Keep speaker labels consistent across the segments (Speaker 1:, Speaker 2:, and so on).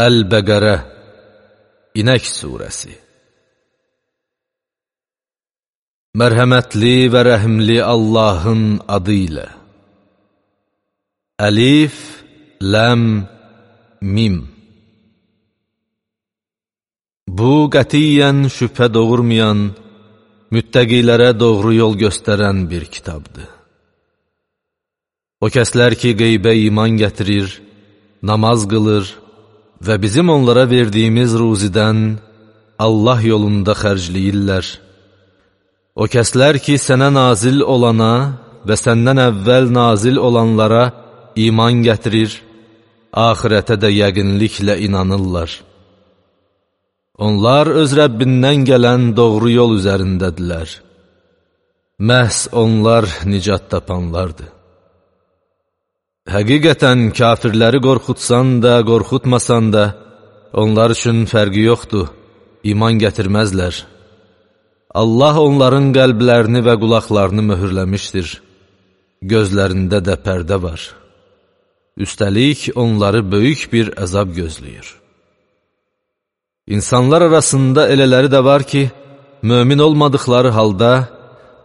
Speaker 1: Əl-Bəqərə İnək Suresi. Mərhəmətli və rəhimli Allahın adı ilə. Əlif, Ləm, Mim. Bu qətiyyən şübhə doğurmayan, müttəqilərə doğru yol göstərən bir kitabdır. O kəslər ki, qeybə iman gətirir, namaz qılır və bizim onlara verdiyimiz ruzidən Allah yolunda xərcləyirlər. O kəslər ki, sənə nazil olana və səndən əvvəl nazil olanlara iman gətirir, axirətə də yəqinliklə inanırlar. Onlar öz Rəbbindən gələn doğru yol üzərindədirlər. Məhz onlar nicat tapanlardır. Həqiqətən kafirləri qorxutsan da, qorxutmasan da, onlar üçün fərqi yoxdur, iman gətirməzlər. Allah onların qəlblərini və qulaqlarını möhürləmişdir. Gözlərində də pərdə var. Üstəlik, onları böyük bir əzab gözləyir. İnsanlar arasında elələri də var ki, mömin olmadıqları halda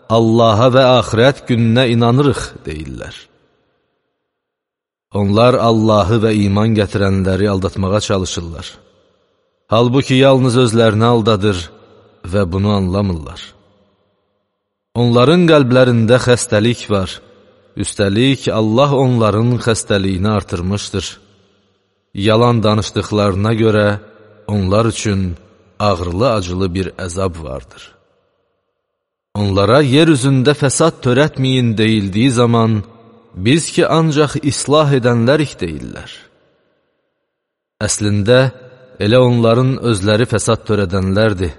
Speaker 1: Allaha və axirət gününə inanırıq deyirlər. Onlar Allahı və iman gətirənləri aldatmağa çalışırlar. Halbuki yalnız özlərini aldadır və bunu anlamırlar. Onların qəlblərində xəstəlik var. Üstəlik, Allah onların xəstəliyini artırmışdır. Yalan danışdıqlarına görə onlar üçün ağrılı-acılı bir əzab vardır. Onlara yer üzündə fəsad törətməyin deyildiyi zaman, biz ki, ancaq islah edənlərik deyirlər. Əslində, elə onların özləri fəsad törədənlərdir,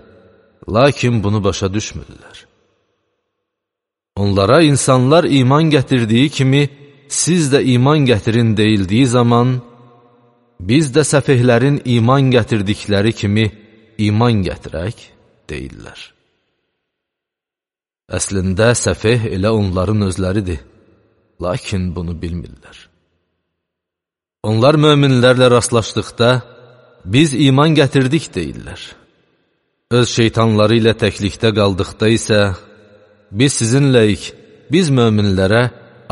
Speaker 1: lakin bunu başa düşmürlər. Onlara insanlar iman gətirdiyi kimi, siz də iman gətirin deyildiyi zaman, biz də səfehlərin iman gətirdikləri kimi iman gətirək deyirlər. Əslində, səfeh elə onların özləridir, lakin bunu bilmirlər. Onlar möminlərlə rastlaşdıqda, biz iman gətirdik deyirlər. Öz şeytanları ilə təklikdə qaldıqda isə, biz sizinləyik, biz möminlərə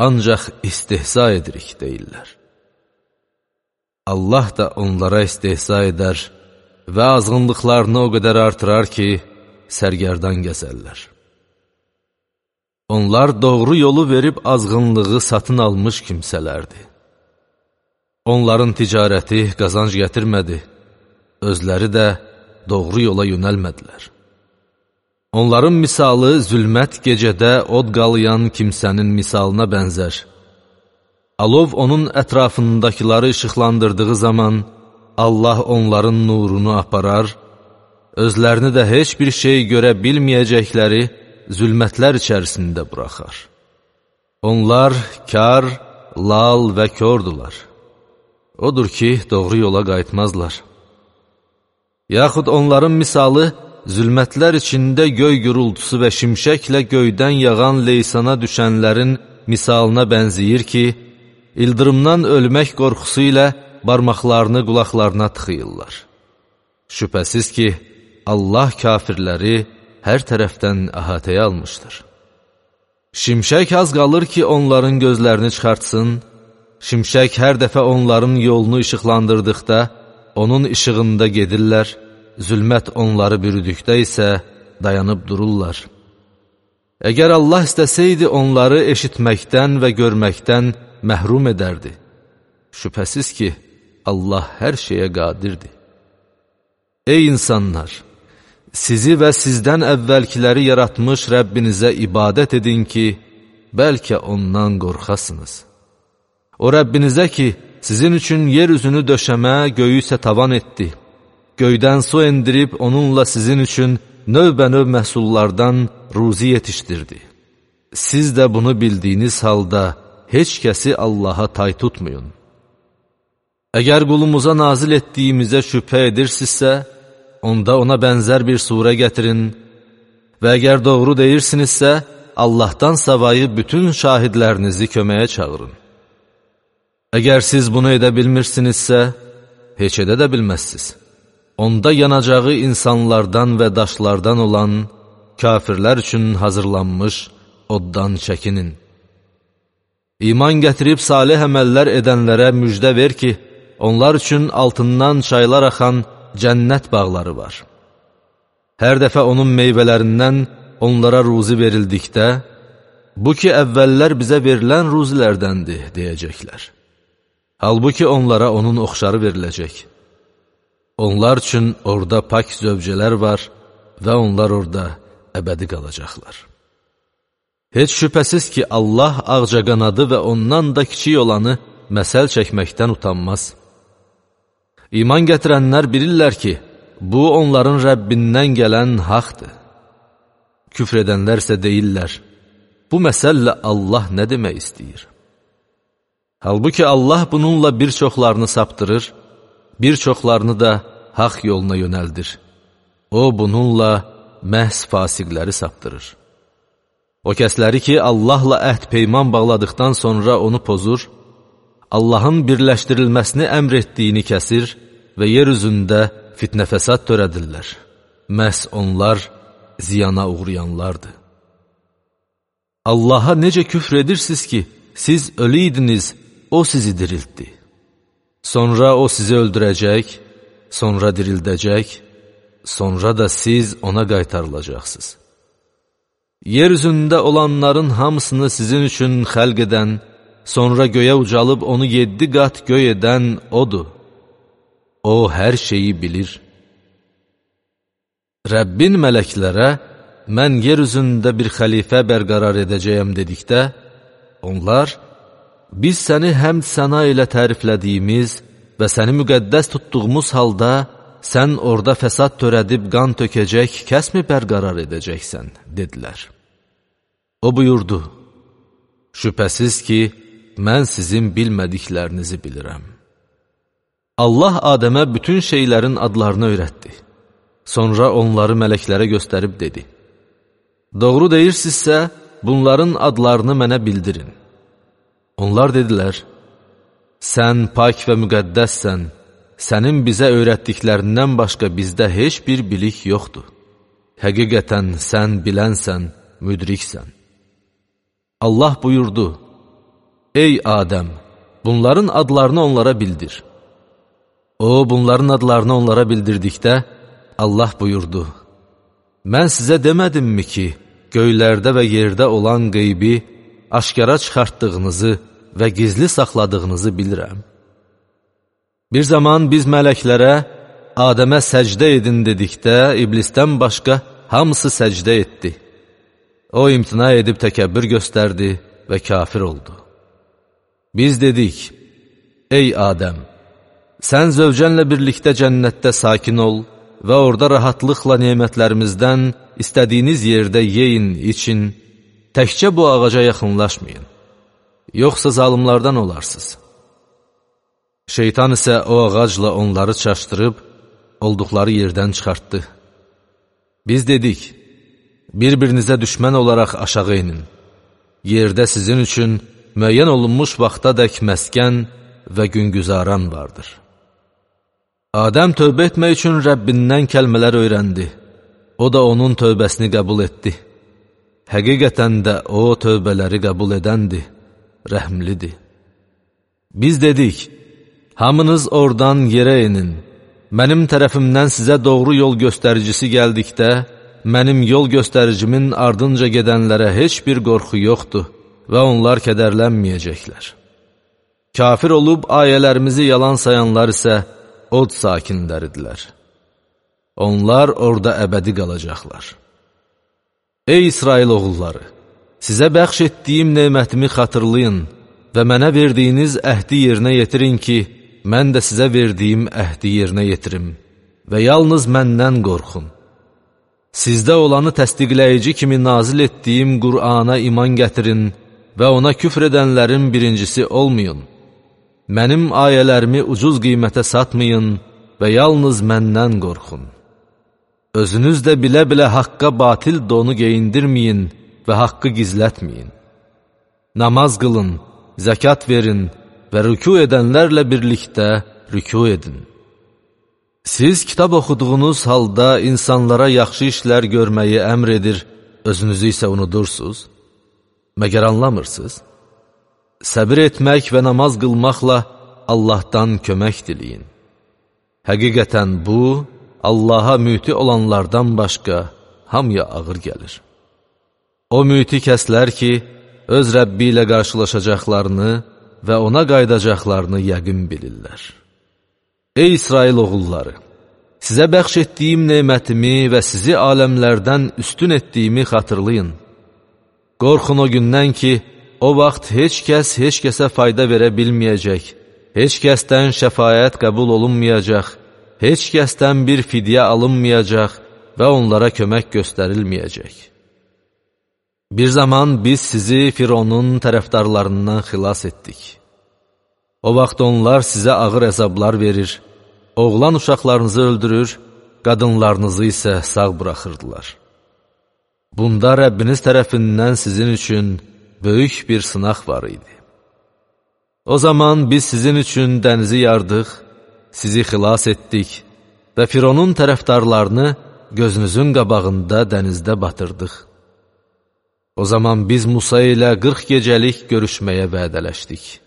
Speaker 1: ancaq istihza edirik deyirlər. Allah da onlara istihza edər və azğınlıqlarını o qədər artırar ki, sərgərdan gəzərlər. Onlar doğru yolu verib azğınlığı satın almış kimsələrdir. Onların ticarəti qazanc gətirmədi, özləri də doğru yola yönəlmədilər. Onların misalı zülmət gecədə od qalayan kimsənin misalına bənzər. Alov onun ətrafındakıları işıqlandırdığı zaman Allah onların nurunu aparar, özlərini də heç bir şey görə bilməyəcəkləri zülmətlər içərisində buraxar. Onlar kar, lal və kördular. Odur ki, doğru yola qayıtmazlar. Yaxud onların misalı, zülmətlər içində göy gürültüsü və şimşəklə göydən yağan leysana düşənlərin misalına bənziyir ki, ildırımdan ölmək qorxusu ilə barmaqlarını qulaqlarına tıxıyırlar. Şübhəsiz ki, Allah kafirləri hər tərəfdən əhatəyə almışdır. Şimşək az qalır ki, onların gözlərini çıxartsın, şimşək hər dəfə onların yolunu işıqlandırdıqda, onun işığında gedirlər, zülmət onları bürüdükdə isə dayanıb dururlar. Əgər Allah istəsəydi, onları eşitməkdən və görməkdən məhrum edərdi. Şübhəsiz ki, Allah hər şeyə qadirdir. Ey insanlar! Sizi və sizdən əvvəlkiləri yaratmış Rəbbinizə ibadət edin ki, bəlkə ondan qorxasınız. O Rəbbinizə ki, sizin üçün yer üzünü döşəmə, göyü isə tavan etdi. Göydən su endirib onunla sizin üçün növbə-növ məhsullardan ruzi yetişdirdi. Siz də bunu bildiyiniz halda heç kəsi Allaha tay tutmayın. Əgər qulumuza nazil etdiyimizə şübhə edirsinizsə, onda ona bənzər bir surə gətirin və əgər doğru deyirsinizsə, Allahdan savayı bütün şahidlərinizi köməyə çağırın. Əgər siz bunu edə bilmirsinizsə, heç edə də bilməzsiniz. Onda yanacağı insanlardan və daşlardan olan kafirlər üçün hazırlanmış oddan çəkinin. İman gətirib salih əməllər edənlərə müjdə ver ki, onlar üçün altından çaylar axan cənnət bağları var. Hər dəfə onun meyvələrindən onlara ruzi verildikdə, bu ki, əvvəllər bizə verilən ruzilərdəndir, deyəcəklər. Halbuki onlara onun oxşarı veriləcək. Onlar üçün orada pak zövcələr var və onlar orada əbədi qalacaqlar. Heç şübhəsiz ki, Allah ağcaqanadı və ondan da kiçik olanı məsəl çəkməkdən utanmaz. İman gətirənlər bilirlər ki, bu onların Rəbbindən gələn haqdır. Küfr edənlərsə deyirlər, bu məsəllə Allah nə demək istəyir? Halbuki Allah bununla bir çoxlarını saptırır, bir çoxlarını da haqq yoluna yönəldir. O, bununla məhz fasiqləri saptırır. O kəsləri ki, Allahla əhd peyman bağladıqdan sonra onu pozur, Allahın birləşdirilməsini əmr etdiyini kəsir və yer üzündə fitnə fəsad törədirlər. Məhz onlar ziyana uğrayanlardır. Allaha necə küfr edirsiniz ki, siz ölü idiniz, O sizi diriltdi. Sonra O sizi öldürəcək, sonra dirildəcək, sonra da siz ona qaytarılacaqsınız. Yer üzündə olanların hamısını sizin üçün xəlq edən, sonra göyə ucalıb onu 7 qat göy edən O'dur. O hər şeyi bilir. Rəbbin mələklərə, mən yer üzündə bir xəlifə bərqərar edəcəyəm dedikdə, onlar, biz səni həmd səna ilə təriflədiyimiz və səni müqəddəs tutduğumuz halda, sən orada fəsad törədib qan tökəcək, kəsmi bərqərar edəcəksən, dedilər. O buyurdu, şübhəsiz ki, mən sizin bilmədiklərinizi bilirəm. Allah Adəmə bütün şeylərin adlarını öyrətdi. Sonra onları mələklərə göstərib dedi, doğru deyirsinizsə, bunların adlarını mənə bildirin. Onlar dedilər, sən pak və müqəddəssən, sənin bizə öyrətdiklərindən başqa bizdə heç bir bilik yoxdur. Həqiqətən sən bilənsən, müdriksən. Allah buyurdu, ey Adəm, bunların adlarını onlara bildir. O, bunların adlarını onlara bildirdikdə, Allah buyurdu, mən sizə demədimmi ki, göylərdə və yerdə olan qeybi aşkara çıxartdığınızı və gizli saxladığınızı bilirəm. Bir zaman biz mələklərə Adəmə səcdə edin dedikdə, iblisdən başqa hamısı səcdə etdi. O, imtina edib təkəbbür göstərdi və kafir oldu. Biz dedik, ey Adəm, sən zövcənlə birlikdə cənnətdə sakin ol və orada rahatlıqla nemətlərimizdən istədiyiniz yerdə yeyin, için, təkcə bu ağaca yaxınlaşmayın, yoxsa zalımlardan olarsınız. Şeytan isə o ağacla onları çaşdırıb, olduqları yerdən çıxartdı. Biz dedik, bir-birinizə düşmən olaraq aşağı inin. Yerdə sizin üçün müəyyən olunmuş vaxtadək məskən və güngüzaran vardır. Adəm tövbə etmək üçün Rəbbindən kəlmələr öyrəndi. O da onun tövbəsini qəbul etdi. Həqiqətən də o tövbələri qəbul edəndir, rəhmlidir. Biz dedik, hamınız oradan yerə inin. Mənim tərəfimdən sizə doğru yol göstəricisi gəldikdə, mənim yol göstəricimin ardınca gedənlərə heç bir qorxu yoxdur və onlar kədərlənməyəcəklər. Kafir olub ayələrimizi yalan sayanlar isə od sakinləridirlər. Onlar orada əbədi qalacaqlar. Ey İsrail oğulları! Sizə bəxş etdiyim nemətimi xatırlayın və mənə verdiyiniz əhdi yerinə yetirin ki, mən də sizə verdiyim əhdi yerinə yetirim və yalnız məndən qorxun. Sizdə olanı təsdiqləyici kimi nazil etdiyim Qur'ana iman gətirin və ona küfr edənlərin birincisi olmayın. Mənim ayələrimi ucuz qiymətə satmayın və yalnız məndən qorxun. Özünüz də bilə-bilə haqqa batil donu geyindirməyin və haqqı gizlətməyin. Namaz qılın, zəkat verin və rükû edənlərlə birlikdə rükû edin. Siz kitab oxuduğunuz halda insanlara yaxşı işlər görməyi əmr edir, özünüzü isə unudursuz. Məgər anlamırsınız? Səbir etmək və namaz qılmaqla Allahdan kömək diləyin. Həqiqətən bu, Allaha müti olanlardan başqa hamıya ağır gəlir. O müti kəslər ki, öz Rəbbi ilə qarşılaşacaqlarını və ona qaydacaqlarını yəqin bilirlər. Ey İsrail oğulları! Sizə bəxş etdiyim nemətimi və sizi aləmlərdən üstün etdiyimi xatırlayın. Qorxun o gündən ki, o vaxt heç kəs heç kəsə fayda verə bilməyəcək, heç kəsdən şəfaət qəbul olunmayacaq, heç kəsdən bir fidyə alınmayacaq və onlara kömək göstərilməyəcək. Bir zaman biz sizi Fironun tərəfdarlarından xilas etdik. O vaxt onlar sizə ağır əzablar verir, oğlan uşaqlarınızı öldürür, qadınlarınızı isə sağ buraxırdılar. Bunda Rəbbiniz tərəfindən sizin üçün böyük bir sınaq var idi. O zaman biz sizin üçün dənizi yardıq, sizi xilas etdik və Fironun tərəfdarlarını gözünüzün qabağında dənizdə batırdıq. O zaman biz Musa ilə 40 gecəlik görüşməyə vədələşdik.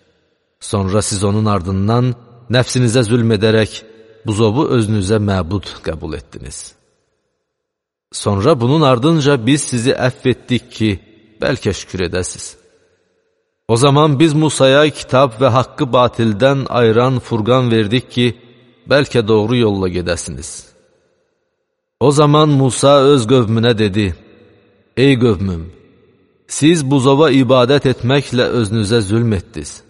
Speaker 1: Sonra siz onun ardından nəfsinizə zülm edərək, buzovu özünüzə məbud qəbul etdiniz. Sonra bunun ardınca biz sizi əfv etdik ki, bəlkə şükür edəsiz. O zaman biz Musaya kitab və haqqı batildən ayıran Furqan verdik ki, bəlkə doğru yolla gedəsiniz. O zaman Musa öz qövmünə dedi, ey qövmüm, siz buzova ibadət etməklə özünüzə zülm etdiniz.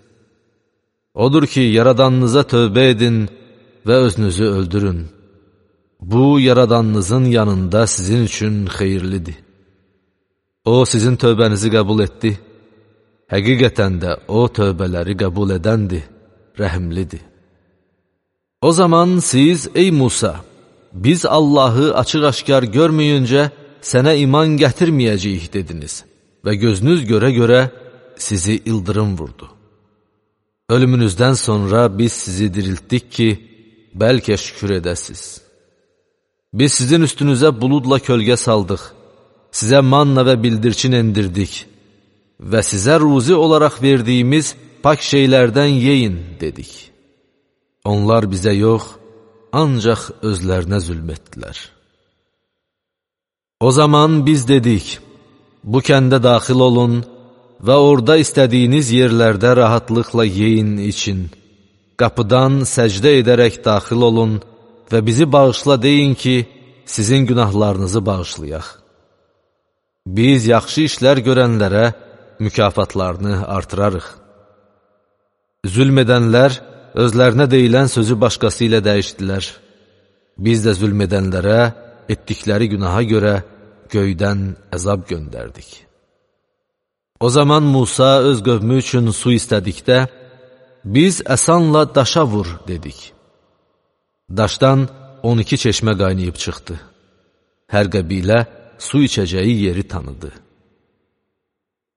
Speaker 1: Odur ki, yaradanınıza tövbə edin və özünüzü öldürün. Bu, yaradanınızın yanında sizin üçün xeyirlidir. O, sizin tövbənizi qəbul etdi. Həqiqətən də o, tövbələri qəbul edəndir, rəhimlidir. O zaman siz, ey Musa, biz Allahı açıq-aşkar görməyincə sənə iman gətirməyəcəyik dediniz və gözünüz görə-görə sizi ildırım vurdu. Ölümünüzdən sonra biz sizi diriltdik ki, bəlkə şükür edəsiz. Biz sizin üstünüzə buludla kölgə saldıq, sizə manna və bildirçin endirdik və sizə ruzi olaraq verdiyimiz pak şeylərdən yeyin dedik. Onlar bizə yox, ancaq özlərinə zülm etdilər. O zaman biz dedik, bu kəndə daxil olun və orada istədiyiniz yerlərdə rahatlıqla yeyin için. Qapıdan səcdə edərək daxil olun və bizi bağışla deyin ki, sizin günahlarınızı bağışlayaq. Biz yaxşı işlər görənlərə mükafatlarını artırarıq. Zülm edənlər özlərinə deyilən sözü başqası ilə dəyişdilər. Biz də zülm edənlərə etdikləri günaha görə göydən əzab göndərdik. O zaman Musa öz qövmü üçün su istədikdə, biz əsanla daşa vur dedik. Daşdan 12 çeşmə qaynayıb çıxdı. Hər qəbilə su içəcəyi yeri tanıdı.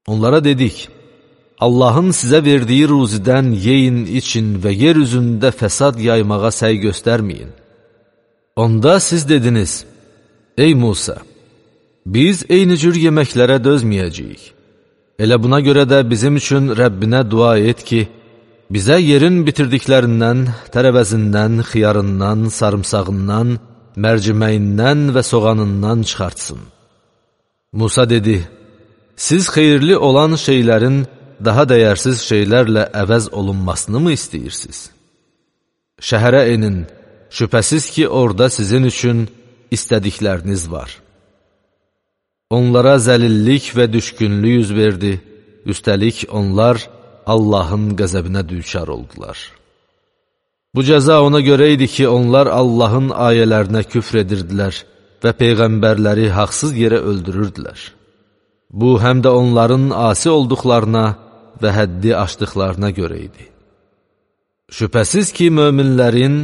Speaker 1: Onlara dedik, Allahın sizə verdiyi ruzidən yeyin, için və yer üzündə fəsad yaymağa səy göstərməyin. Onda siz dediniz, ey Musa, biz eyni cür yeməklərə dözməyəcəyik. Elə buna görə də bizim üçün Rəbbinə dua et ki, bizə yerin bitirdiklərindən, tərəvəzindən, xiyarından, sarımsağından, mərciməyindən və soğanından çıxartsın. Musa dedi, siz xeyirli olan şeylərin daha dəyərsiz şeylərlə əvəz olunmasını mı istəyirsiniz? Şəhərə enin, şübhəsiz ki, orada sizin üçün istədikləriniz var. Onlara zəlillik və düşkünlük yüz verdi, üstəlik onlar Allahın qəzəbinə düçar oldular. Bu cəza ona görə idi ki, onlar Allahın ayələrinə küfr edirdilər və peyğəmbərləri haqsız yerə öldürürdülər. Bu, həm də onların asi olduqlarına və həddi aşdıqlarına görə idi. Şübhəsiz ki, möminlərin,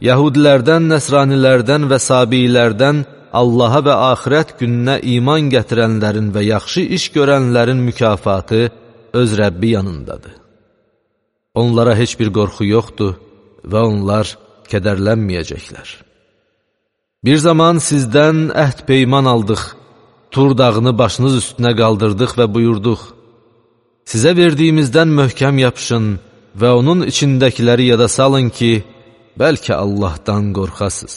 Speaker 1: yəhudilərdən, nəsranilərdən və sabiilərdən Allaha və axirət gününə iman gətirənlərin və yaxşı iş görənlərin mükafatı öz Rəbbi yanındadır. Onlara heç bir qorxu yoxdur və onlar kədərlənməyəcəklər. Bir zaman sizdən əhd peyman aldıq, Tur dağını başınız üstünə qaldırdıq və buyurduq, sizə verdiyimizdən möhkəm yapışın və onun içindəkiləri yada salın ki, bəlkə Allahdan qorxasız.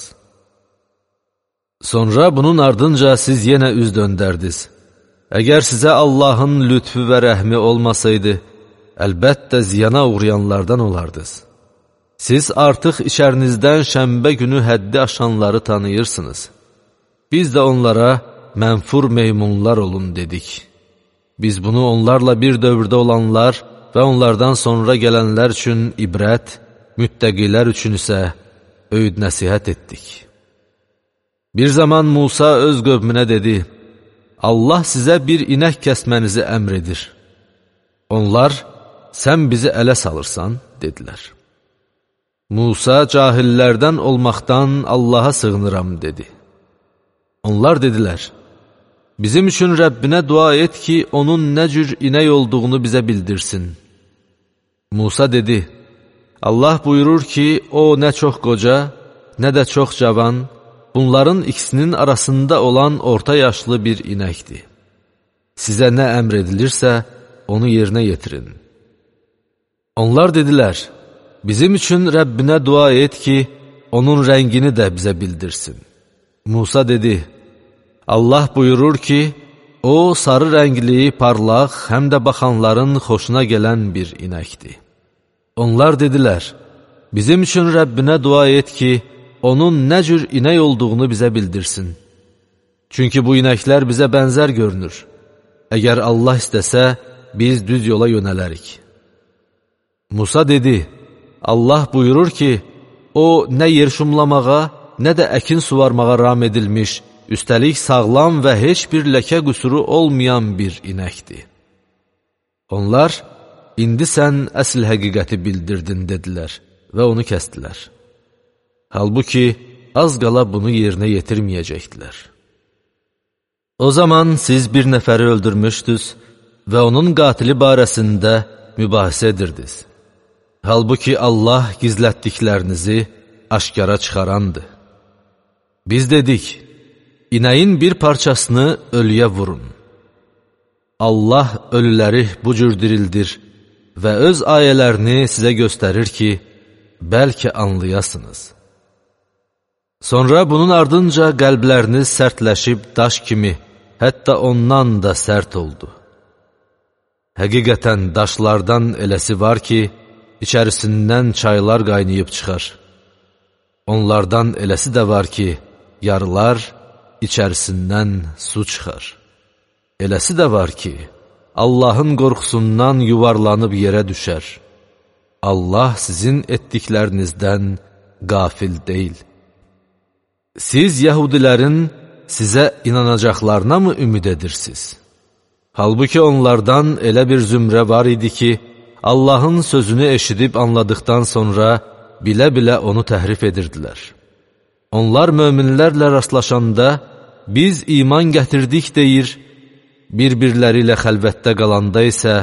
Speaker 1: Sonra bunun ardınca siz yenə üz döndərdiniz. Əgər sizə Allahın lütfü və rəhmi olmasaydı, əlbəttə ziyana uğrayanlardan olardınız. Siz artıq içərinizdən şənbə günü həddi aşanları tanıyırsınız. Biz də onlara mənfur meymunlar olun dedik. Biz bunu onlarla bir dövrdə olanlar və onlardan sonra gələnlər üçün ibrət, müttəqilər üçün isə öyüd nəsihət etdik. Bir zaman Musa öz qövmünə dedi, Allah sizə bir inək kəsmənizi əmr edir. Onlar, sən bizi ələ salırsan, dedilər. Musa cahillərdən olmaqdan Allaha sığınıram, dedi. Onlar dedilər, bizim üçün Rəbbinə dua et ki, onun nə cür inək olduğunu bizə bildirsin. Musa dedi, Allah buyurur ki, o nə çox qoca, nə də çox cavan, bunların ikisinin arasında olan orta yaşlı bir inəkdir. Sizə nə əmr edilirsə, onu yerinə yetirin. Onlar dedilər, bizim üçün Rəbbinə dua et ki, onun rəngini də bizə bildirsin. Musa dedi, Allah buyurur ki, o sarı rəngli, parlaq, həm də baxanların xoşuna gələn bir inəkdir. Onlar dedilər, bizim üçün Rəbbinə dua et ki, onun nə cür inək olduğunu bizə bildirsin. Çünki bu inəklər bizə bənzər görünür. Əgər Allah istəsə, biz düz yola yönələrik. Musa dedi, Allah buyurur ki, o nə yer şumlamağa, nə də əkin suvarmağa ram edilmiş, üstəlik sağlam və heç bir ləkə qüsuru olmayan bir inəkdir. Onlar, indi sən əsl həqiqəti bildirdin, dedilər və onu kəstdilər. Halbuki, az qala bunu yerinə yetirməyəcəkdilər. O zaman siz bir nəfəri öldürmüşdünüz və onun qatili barəsində mübahisə edirdiniz. Halbuki Allah gizlətdiklərinizi aşkara çıxarandır. Biz dedik, inəyin bir parçasını ölüyə vurun. Allah ölüləri bu cür dirildir və öz ayələrini sizə göstərir ki, bəlkə anlayasınız. Sonra bunun ardınca qəlbləriniz sərtləşib daş kimi, hətta ondan da sərt oldu. Həqiqətən daşlardan eləsi var ki, içərisindən çaylar qaynayıb çıxar. Onlardan eləsi də var ki, yarılar, içərisindən su çıxar. Eləsi də var ki, Allahın qorxusundan yuvarlanıb yerə düşər. Allah sizin etdiklərinizdən qafil deyil. Siz yəhudilərin sizə inanacaqlarına mı ümid edirsiniz? Halbuki onlardan elə bir zümrə var idi ki, Allahın sözünü eşidib anladıqdan sonra bilə-bilə onu təhrif edirdilər. Onlar möminlərlə rastlaşanda, biz iman gətirdik deyir, bir-birləri ilə xəlvətdə qalanda isə,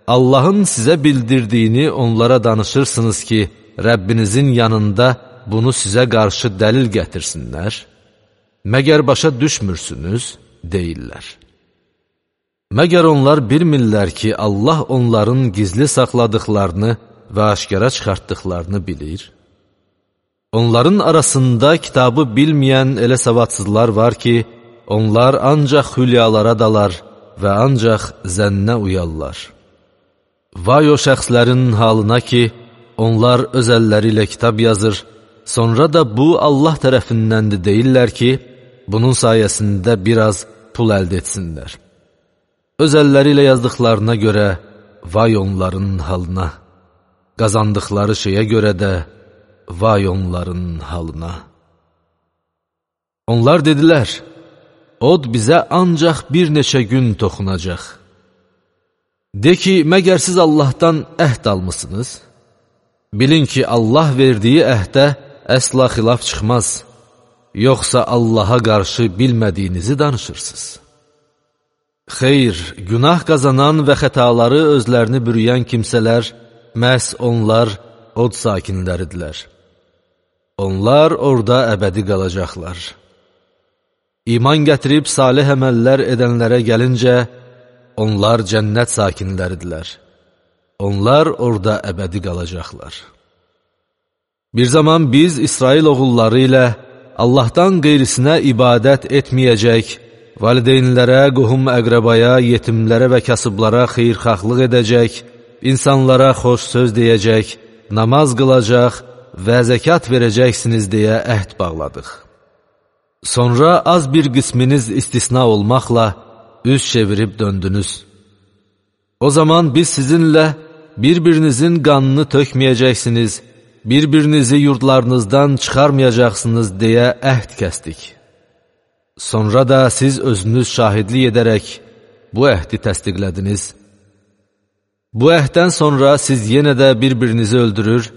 Speaker 1: Allahın sizə bildirdiyini onlara danışırsınız ki, Rəbbinizin yanında bunu sizə qarşı dəlil gətirsinlər. Məgər başa düşmürsünüz, deyirlər. Məgər onlar bilmirlər ki, Allah onların gizli saxladıqlarını və aşkara çıxartdıqlarını bilir. Onların arasında kitabı bilməyən elə savadsızlar var ki, onlar ancaq hülyalara dalar və ancaq zənnə uyarlar. Vay o şəxslərin halına ki, onlar öz əlləri ilə kitab yazır, sonra da bu Allah tərəfindəndir deyirlər ki, bunun sayəsində biraz pul əldə etsinlər. Öz əlləri ilə yazdıqlarına görə vay onların halına, qazandıqları şeyə görə də vay onların halına. Onlar dedilər, od bizə ancaq bir neçə gün toxunacaq. De ki, məgər siz Allahdan əhd almısınız? Bilin ki, Allah verdiyi əhdə əsla xilaf çıxmaz. Yoxsa Allaha qarşı bilmədiyinizi danışırsınız. Xeyr, günah qazanan və xətaları özlərini bürüyən kimsələr, məhz onlar od sakinləridirlər. Onlar orada əbədi qalacaqlar. İman gətirib salih əməllər edənlərə gəlincə, onlar cənnət sakinləridirlər. Onlar orada əbədi qalacaqlar. Bir zaman biz İsrail oğulları ilə Allahdan qeyrisinə ibadət etməyəcək, valideynlərə, qohum-əqrəbaya, yetimlərə və kasıblara xeyirxahlıq edəcək, insanlara xoş söz deyəcək, namaz qılacaq və zəkat verəcəksiniz deyə əhd bağladıq. Sonra az bir qisminiz istisna olmaqla üz çevirib döndünüz. O zaman biz sizinlə bir-birinizin qanını tökməyəcəksiniz, bir-birinizi yurdlarınızdan çıxarmayacaqsınız deyə əhd kəsdik. Sonra da siz özünüz şahidlik edərək bu əhdi təsdiqlədiniz. Bu əhddən sonra siz yenə də bir-birinizi öldürür,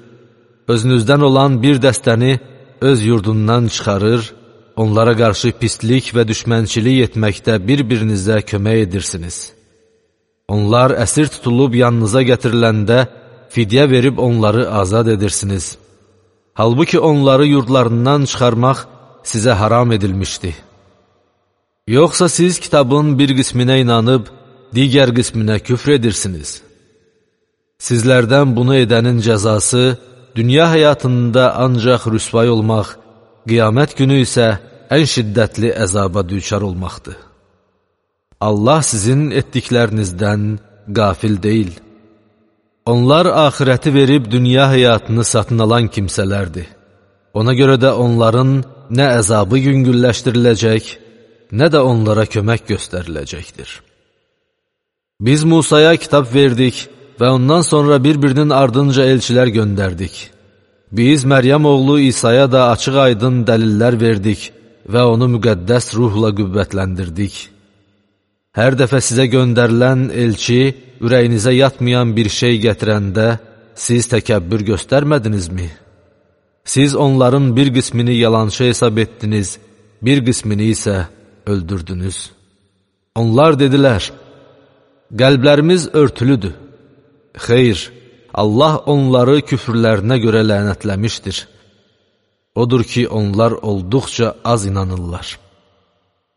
Speaker 1: özünüzdən olan bir dəstəni öz yurdundan çıxarır, onlara qarşı pislik və düşmənçilik etməkdə bir-birinizə kömək edirsiniz. Onlar əsir tutulub yanınıza gətiriləndə fidyə verib onları azad edirsiniz. Halbuki onları yurdlarından çıxarmaq sizə haram edilmişdi. Yoxsa siz kitabın bir qisminə inanıb, digər qisminə küfr edirsiniz. Sizlərdən bunu edənin cəzası dünya həyatında ancaq rüsvay olmaq, qiyamət günü isə ən şiddətli əzaba düçar olmaqdır. Allah sizin etdiklərinizdən qafil deyil. Onlar axirəti verib dünya həyatını satın alan kimsələrdir. Ona görə də onların nə əzabı yüngülləşdiriləcək, nə də onlara kömək göstəriləcəkdir. Biz Musaya kitab verdik və ondan sonra bir-birinin ardınca elçilər göndərdik. Biz Məryəm oğlu İsa'ya da açıq-aydın dəlillər verdik və onu müqəddəs ruhla qüvvətləndirdik. Hər dəfə sizə göndərilən elçi ürəyinizə yatmayan bir şey gətirəndə siz təkəbbür göstərmədinizmi? Siz onların bir qismini yalançı hesab etdiniz, bir qismini isə öldürdünüz. Onlar dedilər, qəlblərimiz örtülüdür. Xeyr, Allah onları küfrlərinə görə lənətləmişdir. Odur ki, onlar olduqca az inanırlar.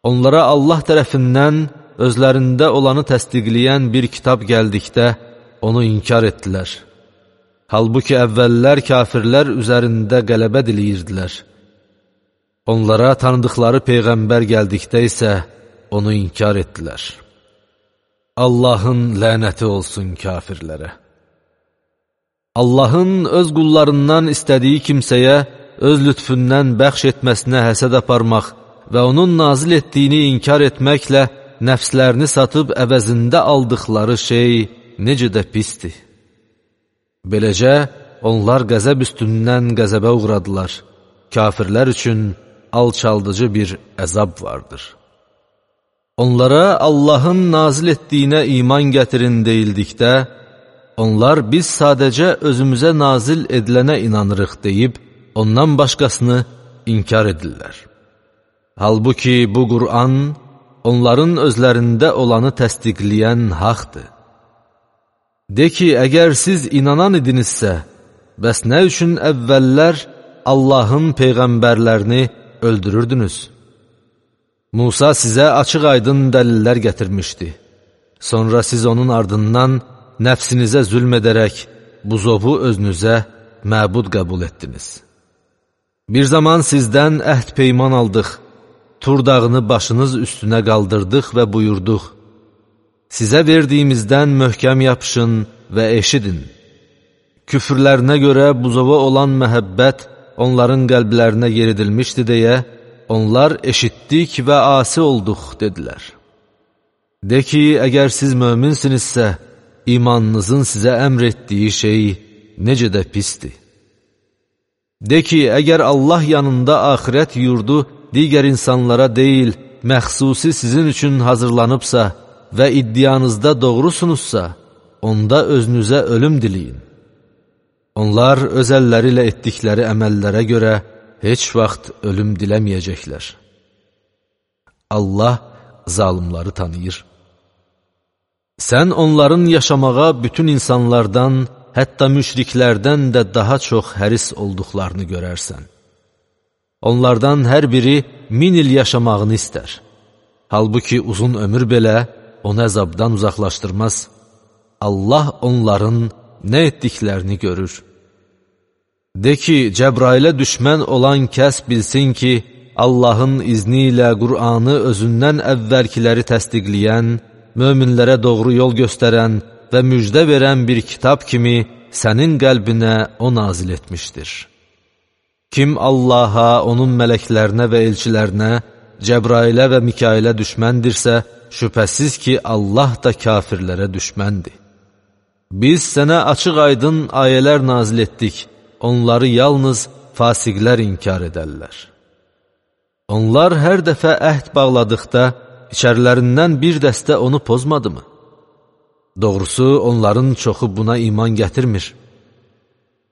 Speaker 1: Onlara Allah tərəfindən özlərində olanı təsdiqləyən bir kitab gəldikdə onu inkar etdilər. Halbuki əvvəllər kafirlər üzərində qələbə diləyirdilər. Onlara tanıdıqları Peyğəmbər gəldikdə isə onu inkar etdilər. Allahın lənəti olsun kafirlərə. Allahın öz qullarından istədiyi kimsəyə öz lütfündən bəxş etməsinə həsəd aparmaq və onun nazil etdiyini inkar etməklə nəfslərini satıb əvəzində aldıqları şey necə də pisdir. Beləcə, onlar qəzəb üstündən qəzəbə uğradılar. Kafirlər üçün alçaldıcı bir əzab vardır. Onlara Allahın nazil etdiyinə iman gətirin deyildikdə, onlar biz sadəcə özümüzə nazil edilənə inanırıq deyib, ondan başqasını inkar edirlər. Halbuki bu Qur'an, onların özlərində olanı təsdiqləyən haqdır. De ki, əgər siz inanan idinizsə, bəs nə üçün əvvəllər Allahın peyğəmbərlərini öldürürdünüz? Musa sizə açıq-aydın dəlillər gətirmişdi. Sonra siz onun ardından nəfsinizə zülm edərək, buzovu özünüzə məbud qəbul etdiniz. Bir zaman sizdən əhd peyman aldıq, Tur dağını başınız üstünə qaldırdıq və buyurduq, sizə verdiyimizdən möhkəm yapışın və eşidin. Küfrlərinə görə buzova olan məhəbbət onların qəlblərinə yeridilmişdi deyə, onlar eşitdik və asi olduq, dedilər. De ki, əgər siz möminsinizsə, imanınızın sizə əmr etdiyi şey necə də pisdir. De ki, əgər Allah yanında axirət yurdu digər insanlara deyil, məxsusi sizin üçün hazırlanıbsa və iddianızda doğrusunuzsa, onda özünüzə ölüm diləyin. Onlar öz əlləri ilə etdikləri əməllərə görə heç vaxt ölüm diləməyəcəklər. Allah zalimları tanıyır. Sən onların yaşamağa bütün insanlardan, hətta müşriklərdən də daha çox həris olduqlarını görərsən. Onlardan hər biri 1000 il yaşamağını istər. Halbuki uzun ömür belə onu əzabdan uzaqlaşdırmaz. Allah onların nə etdiklərini görür. De ki, Cəbrailə düşmən olan kəs bilsin ki, Allahın izni ilə Qur'anı özündən əvvəlkiləri təsdiqləyən, möminlərə doğru yol göstərən və müjdə verən bir kitab kimi sənin qəlbinə o nazil etmişdir. Kim Allaha, onun mələklərinə və elçilərinə, Cəbrailə və Mikailə düşməndirsə, şübhəsiz ki, Allah da kafirlərə düşməndir. Biz sənə açıq-aydın ayələr nazil etdik, onları yalnız fasiqlər inkar edərlər. Onlar hər dəfə əhd bağladıqda, içərilərindən bir dəstə onu pozmadımı? Doğrusu, onların çoxu buna iman gətirmir.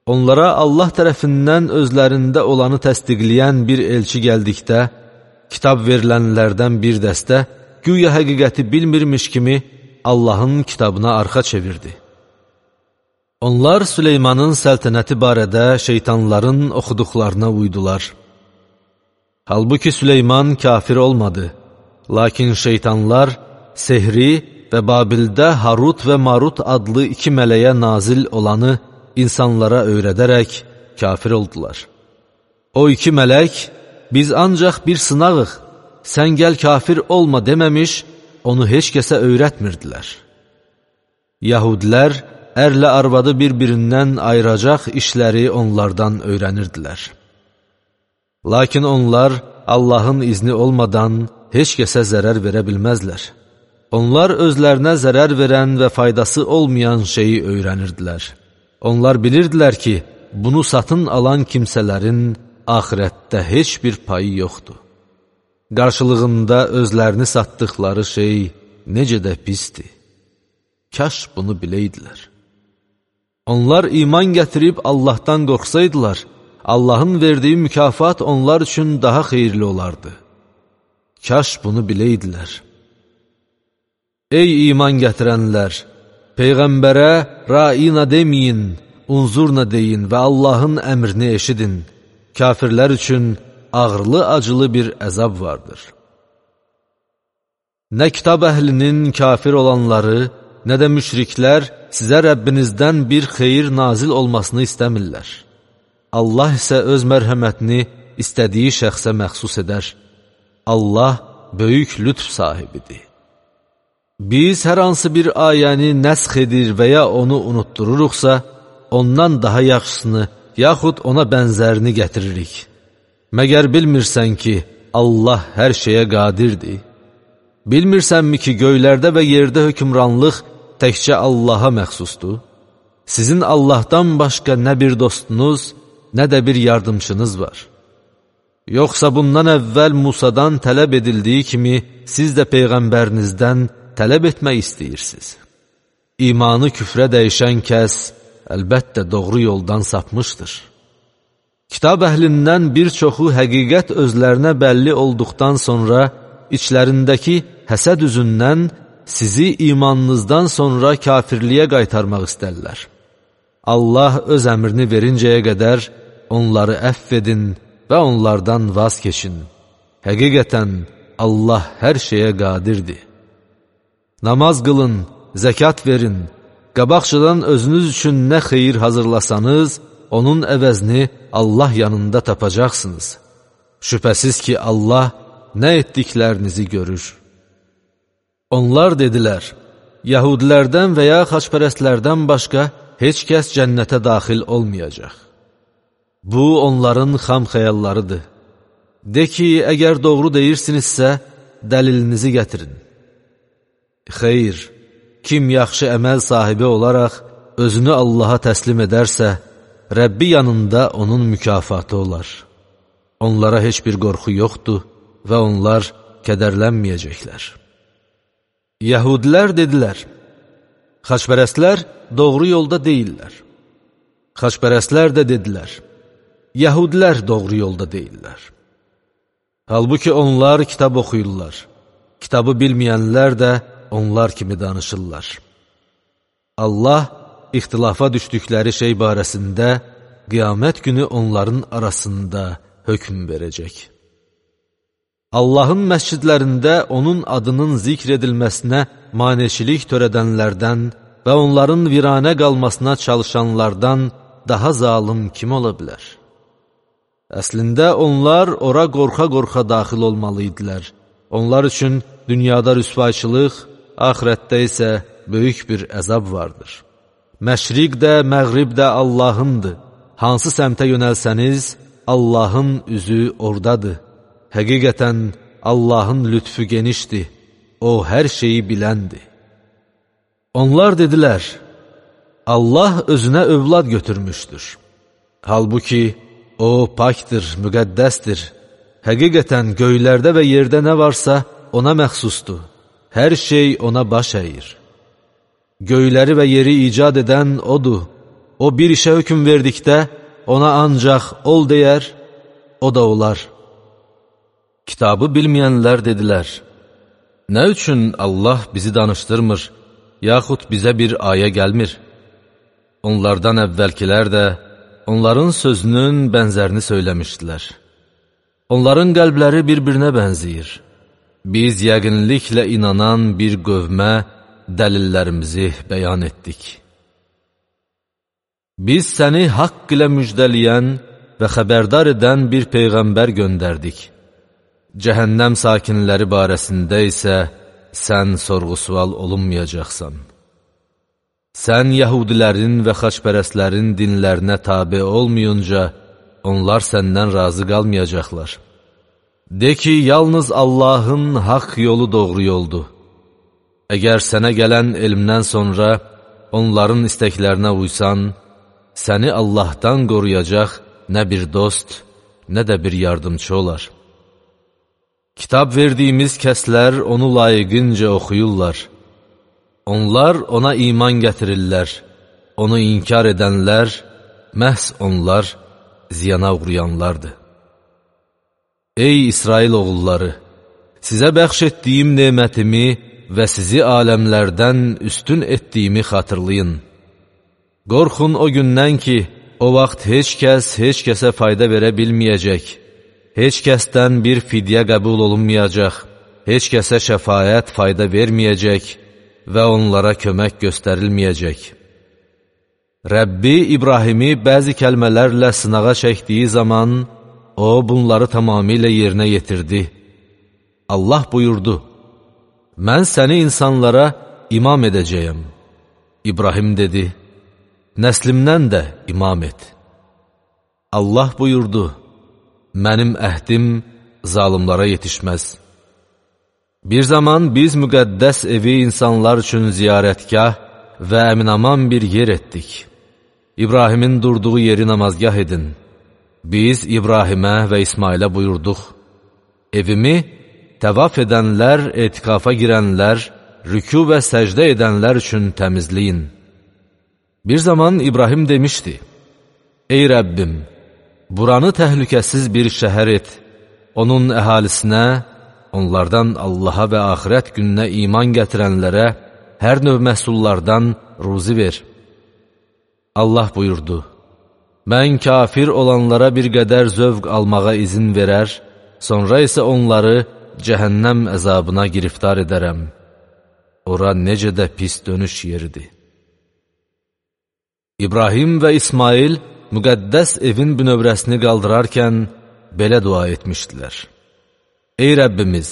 Speaker 1: Onlara Allah tərəfindən özlərində olanı təsdiqləyən bir elçi gəldikdə, kitab verilənlərdən bir dəstə, güya həqiqəti bilmirmiş kimi Allahın kitabına arxa çevirdi. Onlar Süleymanın səltənəti barədə şeytanların oxuduqlarına uydular. Halbuki Süleyman kafir olmadı, lakin şeytanlar sehri və Babildə Harut və Marut adlı 2 mələyə nazil olanı insanlara öyrədərək kafir oldular. O 2 mələk, biz ancaq bir sınağıq, sən gəl kafir olma deməmiş, onu heç kəsə öyrətmirdilər. Yahudilər ərlə arvadı bir-birindən ayıracaq işləri onlardan öyrənirdilər. Lakin onlar Allahın izni olmadan heç kəsə zərər verə bilməzlər. Onlar özlərinə zərər verən və faydası olmayan şeyi öyrənirdilər. Onlar bilirdilər ki, bunu satın alan kimsələrin axirətdə heç bir payı yoxdur. Qarşılığında özlərini satdıqları şey necə də pisdir. Kaş bunu biləydilər. Onlar iman gətirib Allahdan qorxsaydılar, Allahın verdiyi mükafat onlar üçün daha xeyirli olardı. Kaş bunu biləydilər. Ey iman gətirənlər! Peyğəmbərə ra'ina deməyin, unzurna deyin və Allahın əmrini eşidin. Kafirlər üçün ağırlı-acılı bir əzab vardır. Nə kitab əhlinin kafir olanları, nə də müşriklər sizə Rəbbinizdən bir xeyir nazil olmasını istəmirlər. Allah isə öz mərhəmətini istədiyi şəxsə məxsus edər. Allah böyük lütf sahibidir. Biz hər hansı bir ayəni nəsx edir və ya onu unutdururuqsa, ondan daha yaxşısını, yaxud ona bənzərini gətiririk. Məgər bilmirsən ki, Allah hər şeyə qadirdir? Bilmirsənmi ki, göylərdə və yerdə hökmranlıq təkcə Allaha məxsusdur? Sizin Allahdan başqa nə bir dostunuz, nə də bir yardımçınız var. Yoxsa bundan əvvəl Musadan tələb edildiyi kimi, siz də Peyğəmbərinizdən tələb etmək istəyirsiniz. İmanı küfrə dəyişən kəs, əlbəttə doğru yoldan sapmışdır. Kitab əhlindən bir çoxu həqiqət özlərinə bəlli olduqdan sonra, içlərindəki həsəd üzündən sizi imanınızdan sonra kafirliyə qaytarmaq istərlər. Allah öz əmrini verincəyə qədər onları əfv edin və onlardan vaz keçin. Həqiqətən Allah hər şeyə qadirdir. Namaz qılın, zəkat verin, qabaqçıdan özünüz üçün nə xeyir hazırlasanız, onun əvəzini Allah yanında tapacaqsınız. Şübhəsiz ki, Allah nə etdiklərinizi görür. Onlar dedilər, Yahudilərdən və ya xaçpərəstlərdən başqa heç kəs cənnətə daxil olmayacaq. Bu, onların xam xəyallarıdır. De ki, əgər doğru deyirsinizsə, dəlilinizi gətirin. Xeyr, kim yaxşı əməl sahibi olaraq özünü Allaha təslim edərsə, Rəbbi yanında onun mükafatı olar. Onlara heç bir qorxu yoxdur və onlar kədərlənməyəcəklər. Yəhudilər dedilər, xaçpərəstlər doğru yolda deyirlər. Xaçpərəstlər də dedilər, Yəhudilər doğru yolda deyirlər. Halbuki onlar kitab oxuyurlar. Kitabı bilməyənlər də onlar kimi danışırlar. Allah ixtilafa düşdükləri şey barəsində qiyamət günü onların arasında hökm verəcək. Allahın məscidlərində onun adının zikr edilməsinə maneçilik törədənlərdən və onların viranə qalmasına çalışanlardan daha zalım kim ola bilər? Əslində onlar ora qorxa-qorxa daxil olmalıydilər. Onlar üçün dünyada rüsvayçılıq, axirətdə isə böyük bir əzab vardır. Məşriq də, məğrib də Allahındır. Hansı səmtə yönəlsəniz, Allahın üzü oradadır. Həqiqətən Allahın lütfü genişdir. O hər şeyi biləndir. Onlar dedilər, Allah özünə övlad götürmüşdür. Halbuki o pakdır, müqəddəsdir. Həqiqətən göylərdə və yerdə nə varsa ona məxsusdur. Hər şey ona baş əyir. Göyləri və yeri icad edən odur. O bir işə hökm verdikdə ona ancaq ol deyər, o da olar. Kitabı bilməyənlər dedilər, nə üçün Allah bizi danışdırmır, yaxud bizə bir ayə gəlmir? Onlardan əvvəlkilər də onların sözünün bənzərini söyləmişdilər. Onların qəlbləri bir-birinə bənzəyir. Biz yəqinliklə inanan bir qövmə dəlillərimizi bəyan etdik. Biz səni haqq ilə müjdələyən və xəbərdar edən bir peyğəmbər göndərdik. Cəhənnəm sakinləri barəsində isə sən sorğu-sual olunmayacaqsan. Sən yəhudilərin və xaçpərəstlərin dinlərinə tabe olmayınca, onlar səndən razı qalmayacaqlar. De ki, yalnız Allahın haqq yolu doğru yoldur. Əgər sənə gələn elmdən sonra onların istəklərinə uysan, səni Allahdan qoruyacaq nə bir dost, nə də bir yardımcı olar. Kitab verdiyimiz kəslər onu layiqincə oxuyurlar. Onlar ona iman gətirirlər. Onu inkar edənlər, məhz onlar ziyana uğrayanlardır. Ey İsrail oğulları! Sizə bəxş etdiyim nemətimi və sizi aləmlərdən üstün etdiyimi xatırlayın. Qorxun o gündən ki, o vaxt heç kəsə fayda verə bilməyəcək. Heç kəsdən bir fidyə qəbul olunmayacaq, heç kəsə şəfaət fayda verməyəcək və onlara kömək göstərilməyəcək. Rəbbi İbrahimi bəzi kəlmələrlə sınağa çəkdiyi zaman, o bunları tamamilə yerinə yetirdi. Allah buyurdu, mən səni insanlara imam edəcəyəm. İbrahim dedi, nəslimdən də imam et. Allah buyurdu, mənim əhdim zalımlara yetişməz. Bir zaman biz müqəddəs evi insanlar üçün ziyarətgah və əminaman bir yer etdik. İbrahimin durduğu yeri namazgah edin. Biz İbrahimə və İsmailə buyurduq, evimi təvaf edənlər, etikafa girənlər, rükû və səcdə edənlər üçün təmizləyin. Bir zaman İbrahim demişdi, ey Rəbbim, buranı təhlükəsiz bir şəhər et, onun əhalisinə, onlardan Allaha və axirət gününə iman gətirənlərə hər növ məhsullardan ruzi ver. Allah buyurdu, mən kafir olanlara bir qədər zövq almağa izin verər, sonra isə onları cəhənnəm əzabına giriftar edərəm. Ora necə də pis dönüş yeridir. İbrahim və İsmail müqəddəs evin bünövrəsini qaldırarkən belə dua etmişdilər. Ey Rəbbimiz,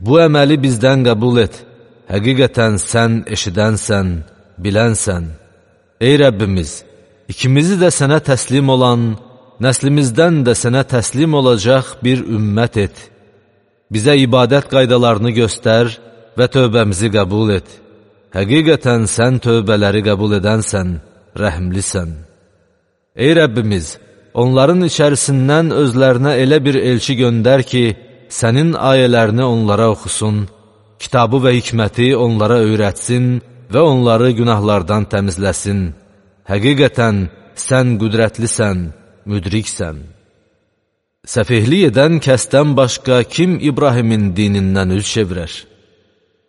Speaker 1: bu əməli bizdən qəbul et. Həqiqətən sən eşidənsən, bilənsən. Ey Rəbbimiz, ikimizi də sənə təslim olan, nəslimizdən də sənə təslim olacaq bir ümmət et. Bizə ibadət qaydalarını göstər və tövbəmizi qəbul et. Həqiqətən sən tövbələri qəbul edənsən, rəhmlisən. Ey Rəbbimiz, onların içərisindən özlərinə elə bir elçi göndər ki, sənin ayələrini onlara oxusun, kitabı və hikməti onlara öyrətsin və onları günahlardan təmizləsin. Həqiqətən sən qüdrətlisən, müdriksən. Səfehlik edən kəsdən başqa kim İbrahimin dinindən üz çevirər?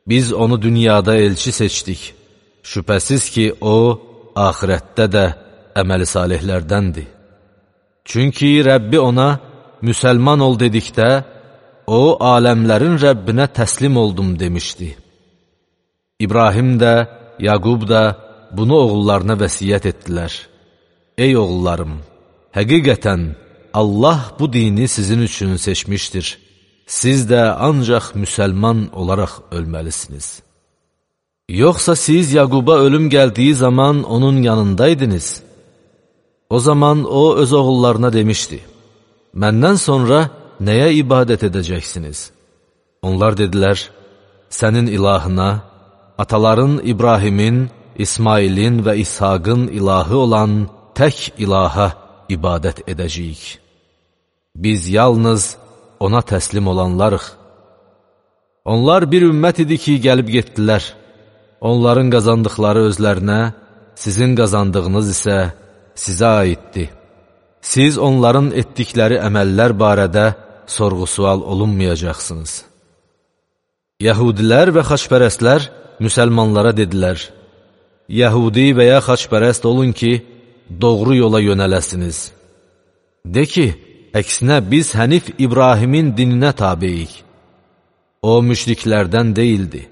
Speaker 1: Biz onu dünyada elçi seçdik. Şübhəsiz ki, o, axirətdə də əməli salihlərdəndir. Çünki Rəbbi ona, müsəlman ol dedikdə, o, aləmlərin Rəbbinə təslim oldum demişdi. İbrahim də, Yaqub da bunu oğullarına vəsiyyət etdilər. Ey oğullarım, həqiqətən Allah bu dini sizin üçün seçmişdir. Siz də ancaq müsəlman olaraq ölməlisiniz. Yoxsa siz Yaquba ölüm gəldiyi zaman onun yanındaydınız. O zaman o öz oğullarına demişdi, məndən sonra nəyə ibadət edəcəksiniz? Onlar dedilər, sənin ilahına, ataların İbrahimin, İsmailin və İshaqın ilahı olan tək ilaha ibadət edəcəyik. Biz yalnız ona təslim olanlarıq. Onlar bir ümmət idi ki, gəlib getdilər. Onların qazandıqları özlərinə, sizin qazandığınız isə sizə aiddir. Siz onların etdikləri əməllər barədə sorğu-sual olunmayacaqsınız. Yəhudilər və xaçpərəstlər müsəlmanlara dedilər, Yəhudi və ya xaçpərəst olun ki, doğru yola yönələsiniz. De ki, əksinə biz Hənif İbrahimin dininə tabeyik. O müşriklərdən deyildi.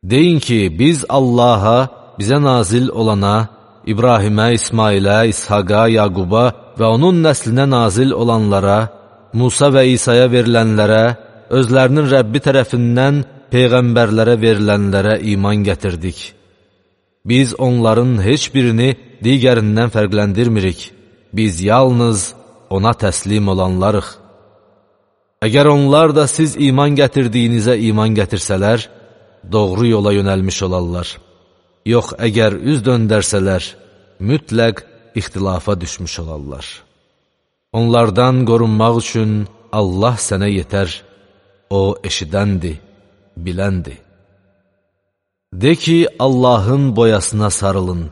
Speaker 1: Deyin ki, biz Allaha, bizə nazil olana, İbrahimə, İsmailə, İshaqa, Yaquba və onun nəslinə nazil olanlara, Musa və İsa'ya verilənlərə, özlərinin Rəbbi tərəfindən peyğəmbərlərə verilənlərə iman gətirdik. Biz onların heç birini digərindən fərqləndirmirik. Biz yalnız ona təslim olanlarıq. Əgər onlar da siz iman gətirdiyinizə iman gətirsələr, doğru yola yönəlmiş olarlar. Yox, əgər üz döndərsələr, mütləq ixtilafa düşmüş olarlar. Onlardan qorunmaq üçün Allah sənə yetər, o eşidəndir, biləndir. De ki, Allahın boyasına sarılın.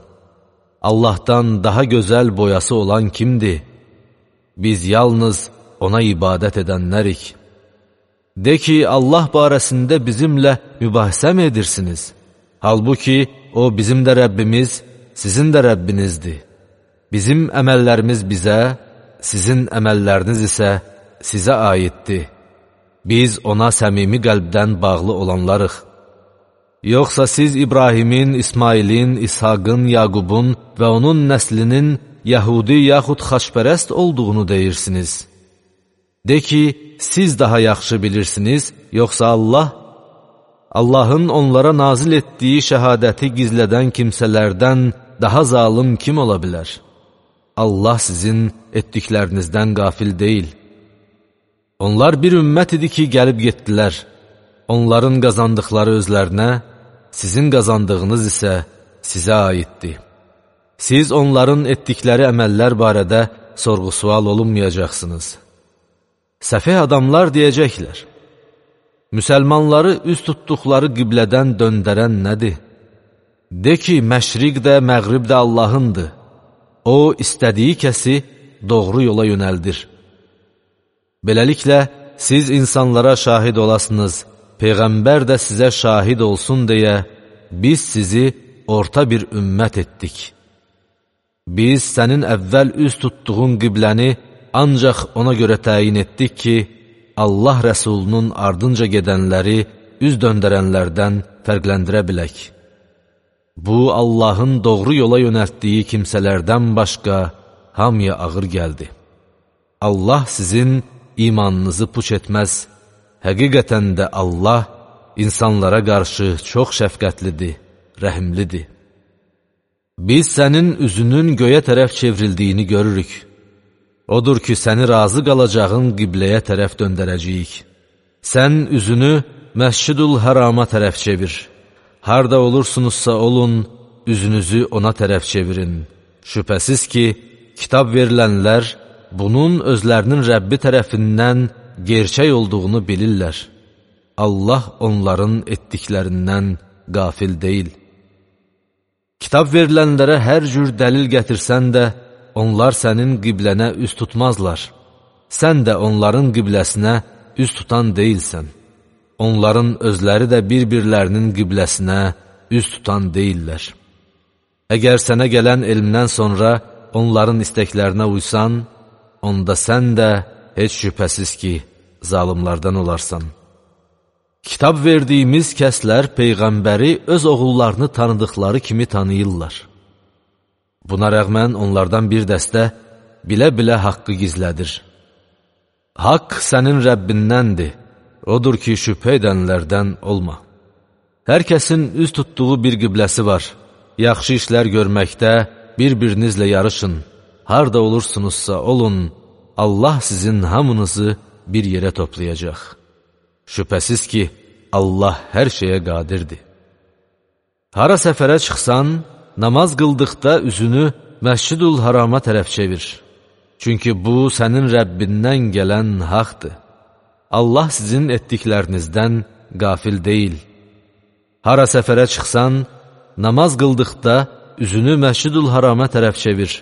Speaker 1: Allahdan daha gözəl boyası olan kimdir? Biz yalnız ona ibadət edənlərik. De ki, Allah barəsində bizimlə mübahisə mi edirsiniz? Halbuki, o bizim də Rəbbimiz, sizin də Rəbbinizdir. Bizim əməllərimiz bizə, sizin əməlləriniz isə sizə aiddir. Biz ona səmimi qəlbdən bağlı olanlarıq. Yoxsa siz İbrahimin, İsmailin, İshaqın, Yaqubun və onun nəslinin Yəhudi yaxud xaçpərəst olduğunu deyirsiniz. De ki, siz daha yaxşı bilirsiniz, yoxsa Allah? Allahın onlara nazil etdiyi şəhadəti gizlədən kimsələrdən daha zalım kim ola bilər? Allah sizin etdiklərinizdən qafil deyil. Onlar bir ümmət idi ki, gəlib getdilər. Onların qazandıqları özlərinə, sizin qazandığınız isə sizə aiddir. Siz onların etdikləri əməllər barədə sorğu-sual olunmayacaqsınız. Səfeh adamlar deyəcəklər, müsəlmanları üz tutduqları qiblədən döndərən nədir? De ki, məşriq də, məğrib də Allahındır. O, istədiyi kəsi doğru yola yönəldir. Beləliklə, siz insanlara şahid olasınız, Peyğəmbər də sizə şahid olsun deyə, biz sizi orta bir ümmət etdik. Biz sənin əvvəl üz tutduğun qibləni ancaq ona görə təyin etdik ki, Allah Rəsulunun ardınca gedənləri üz döndərənlərdən fərqləndirə bilək. Bu, Allahın doğru yola yönəltdiyi kimsələrdən başqa hamıya ağır gəldi. Allah sizin imanınızı puç etməz. Həqiqətən də Allah insanlara qarşı çox şəfqətlidir, rəhimlidir. Biz sənin üzünün göyə tərəf çevrildiyini görürük. Odur ki, səni razı qalacağın qibləyə tərəf döndərəcəyik. Sən üzünü Məscid-ül Hərama tərəf çevir. Harda olursunuzsa olun, üzünüzü ona tərəf çevirin. Şübhəsiz ki, kitab verilənlər bunun özlərinin Rəbbi tərəfindən gerçək olduğunu bilirlər. Allah onların etdiklərindən qafil deyil. Kitab verilənlərə hər cür dəlil gətirsən də, onlar sənin qiblənə üz tutmazlar. Sən də onların qibləsinə üz tutan deyilsən. Onların özləri də bir-birlərinin qibləsinə üz tutan deyillər. Əgər sənə gələn elmdən sonra onların istəklərinə uysan, onda sən də heç şübhəsiz ki, zalimlardan olarsan. Kitab verdiyimiz kəslər Peyğəmbəri öz oğullarını tanıdıqları kimi tanıyırlar. Buna rəğmən onlardan bir dəstə bilə-bilə haqqı gizlədir. Haqq sənin Rəbbindəndir, odur ki, şübhə edənlərdən olma. Hər kəsin üz tutduğu bir qibləsi var. Yaxşı işlər görməkdə bir-birinizlə yarışın. Harda olursunuzsa olun, Allah sizin hamınızı bir yerə toplayacaq. Şübhəsiz ki, Allah hər şeyə qadirdir. Hara səfərə çıxsan, namaz qıldıqda üzünü Məscid-ül Harama tərəf çevir. Çünki bu, sənin Rəbbindən gələn haqdır. Allah sizin etdiklərinizdən qafil deyil. Hara səfərə çıxsan, namaz qıldıqda üzünü Məscid-ül Harama tərəf çevir.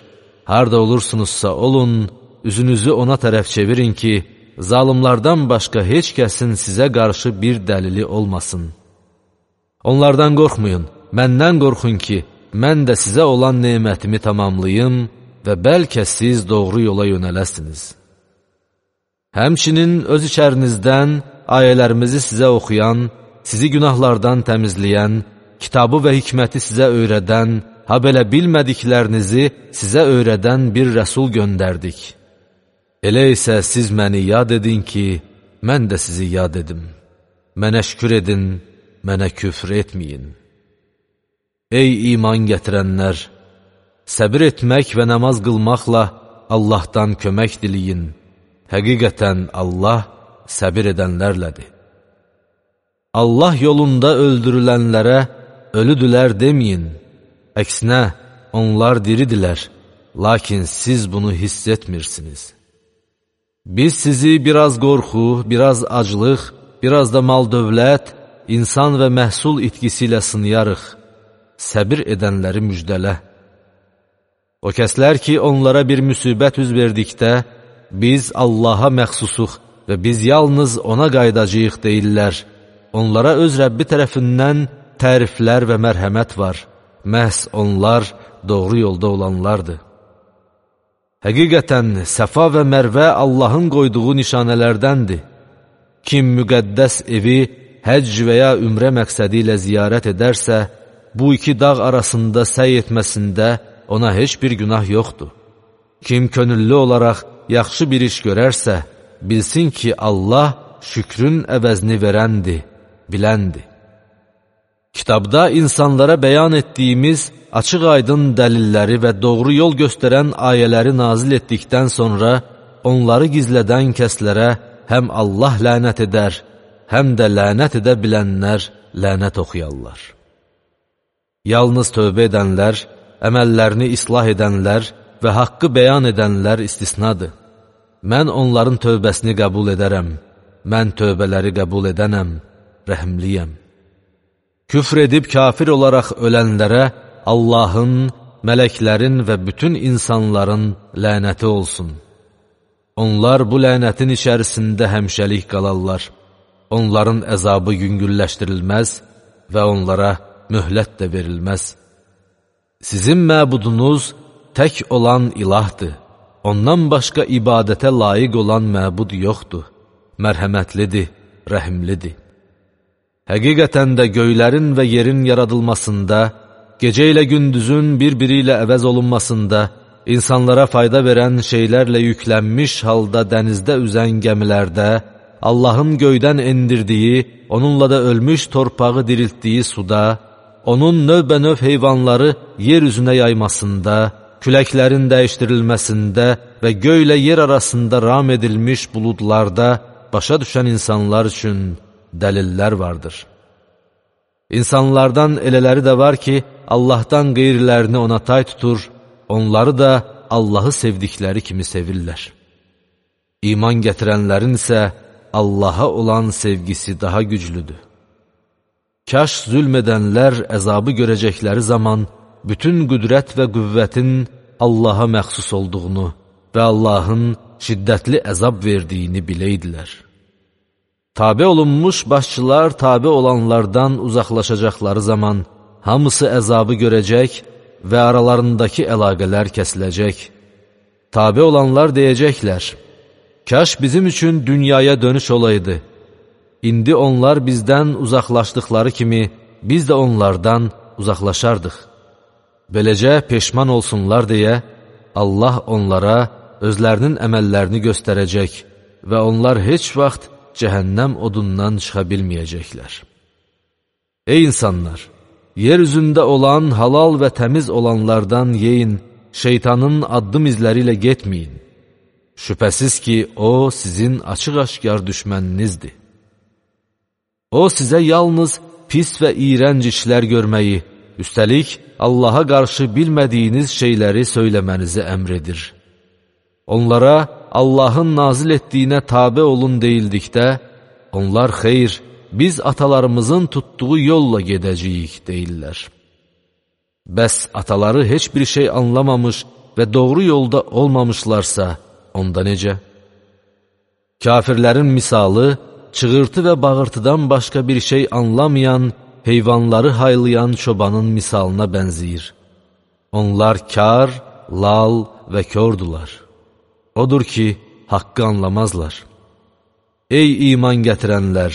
Speaker 1: Harda olursunuzsa olun, üzünüzü ona tərəf çevirin ki, zalimlardan başqa heç kəsin sizə qarşı bir dəlili olmasın. Onlardan qorxmayın, məndən qorxun ki, mən də sizə olan nemətimi tamamlayım və bəlkə siz doğru yola yönələsiniz. Həmçinin öz içərinizdən ayələrimizi sizə oxuyan, sizi günahlardan təmizləyən, kitabı və hikməti sizə öyrədən, ha belə bilmədiklərinizi sizə öyrədən bir rəsul göndərdik. Elə isə siz məni yad edin ki, mən də sizi yad edim. Mənə şükür edin, mənə küfr etməyin. Ey iman gətirənlər! Səbir etmək və namaz qılmaqla Allahdan kömək diləyin. Həqiqətən Allah səbir edənlərlədir. Allah yolunda öldürülənlərə ölüdülər deməyin. Əksinə, onlar diridilər, lakin siz bunu hiss etmirsiniz. Biz sizi biraz qorxu, biraz aclıq, biraz da mal-dövlət, insan və məhsul itkisi ilə sınıyarıq. Səbir edənləri müjdələ. O kəslər ki, onlara bir müsibət üz verdikdə, biz Allaha məxsusuq və biz yalnız ona qaydacağıq deyirlər. Onlara öz Rəbbi tərəfindən təriflər və mərhəmət var. Məhz onlar doğru yolda olanlardır. Həqiqətən, Səfa və Mərvə Allahın qoyduğu nişanələrdəndir. Kim müqəddəs evi həcc və ya ümrə məqsədi ilə ziyarət edərsə, bu iki dağ arasında səy etməsində ona heç bir günah yoxdur. Kim könüllü olaraq yaxşı bir iş görərsə, bilsin ki, Allah şükrün əvəzini verəndir, biləndir. Kitabda insanlara bəyan etdiyimiz açıq-aydın dəlilləri və doğru yol göstərən ayələri nazil etdikdən sonra, onları gizlədən kəslərə həm Allah lənət edər, həm də lənət edə bilənlər lənət oxuyarlar. Yalnız tövbə edənlər, əməllərini islah edənlər və haqqı bəyan edənlər istisnadır. Mən onların tövbəsini qəbul edərəm, mən tövbələri qəbul edənəm, rəhimliyəm. Küfr edib kafir olaraq ölənlərə Allahın, mələklərin və bütün insanların lənəti olsun. Onlar bu lənətin içərisində həmişəlik qalarlar. Onların əzabı yüngülləşdirilməz və onlara möhlət də verilməz. Sizin məbudunuz tək olan ilahdır. Ondan başqa ibadətə layiq olan məbud yoxdur. Mərhəmətlidir, rəhimlidir. Həqiqətən də göylərin və yerin yaradılmasında, gecə ilə gündüzün bir-biri ilə əvəz olunmasında, insanlara fayda verən şeylərlə yüklənmiş halda dənizdə üzən gəmilərdə, Allahın göydən endirdiyi, onunla da ölmüş torpağı diriltdiyi suda, onun növbə-növ heyvanları yer üzünə yaymasında, küləklərin dəyişdirilməsində və göylə yer arasında ram edilmiş buludlarda başa düşən insanlar üçün dəlillər vardır. İnsanlardan elələri də var ki, Allahdan qeyrilərini ona tay tutur, onları da Allahı sevdikləri kimi sevirlər. İman gətirənlərin isə Allaha olan sevgisi daha güclüdür. Kaş zülm edənlər əzabı görəcəkləri zaman bütün qüdrət və qüvvətin Allaha məxsus olduğunu və Allahın şiddətli əzab verdiyini biləydilər. Tabe olunmuş başçılar tabe olanlardan uzaqlaşacaqları zaman hamısı əzabı görəcək və aralarındakı əlaqələr kəsiləcək. Tabe olanlar deyəcəklər, Kaş bizim üçün dünyaya dönüş olaydı. İndi onlar bizdən uzaqlaşdıqları kimi, biz də onlardan uzaqlaşardıq. Beləcə peşman olsunlar deyə, Allah onlara özlərinin əməllərini göstərəcək və onlar heç vaxt cəhənnəm odundan çıxa bilməyəcəklər. Ey insanlar! Yer üzündə olan, halal və təmiz olanlardan yeyin, şeytanın addım izləri ilə getməyin. Şübhəsiz ki, o sizin açıq-aşkar düşməninizdir. O sizə yalnız pis və iyrənc işlər görməyi, üstəlik Allaha qarşı bilmədiyiniz şeyləri söyləmənizi əmr edir. Onlara Allahın nazil etdiyinə tabe olun deyildikdə, onlar xeyr, biz atalarımızın tutduğu yolla gedəcəyik deyirlər. Bəs ataları heç bir şey anlamamış və doğru yolda olmamışlarsa, onda necə? Kafirlərin misalı, çığırtı və bağırtıdan başqa bir şey anlamayan, heyvanları haylayan çobanın misalına bənzəyir. Onlar kar, lal və kördular. Odur ki, haqqı anlamazlar. Ey iman gətirənlər!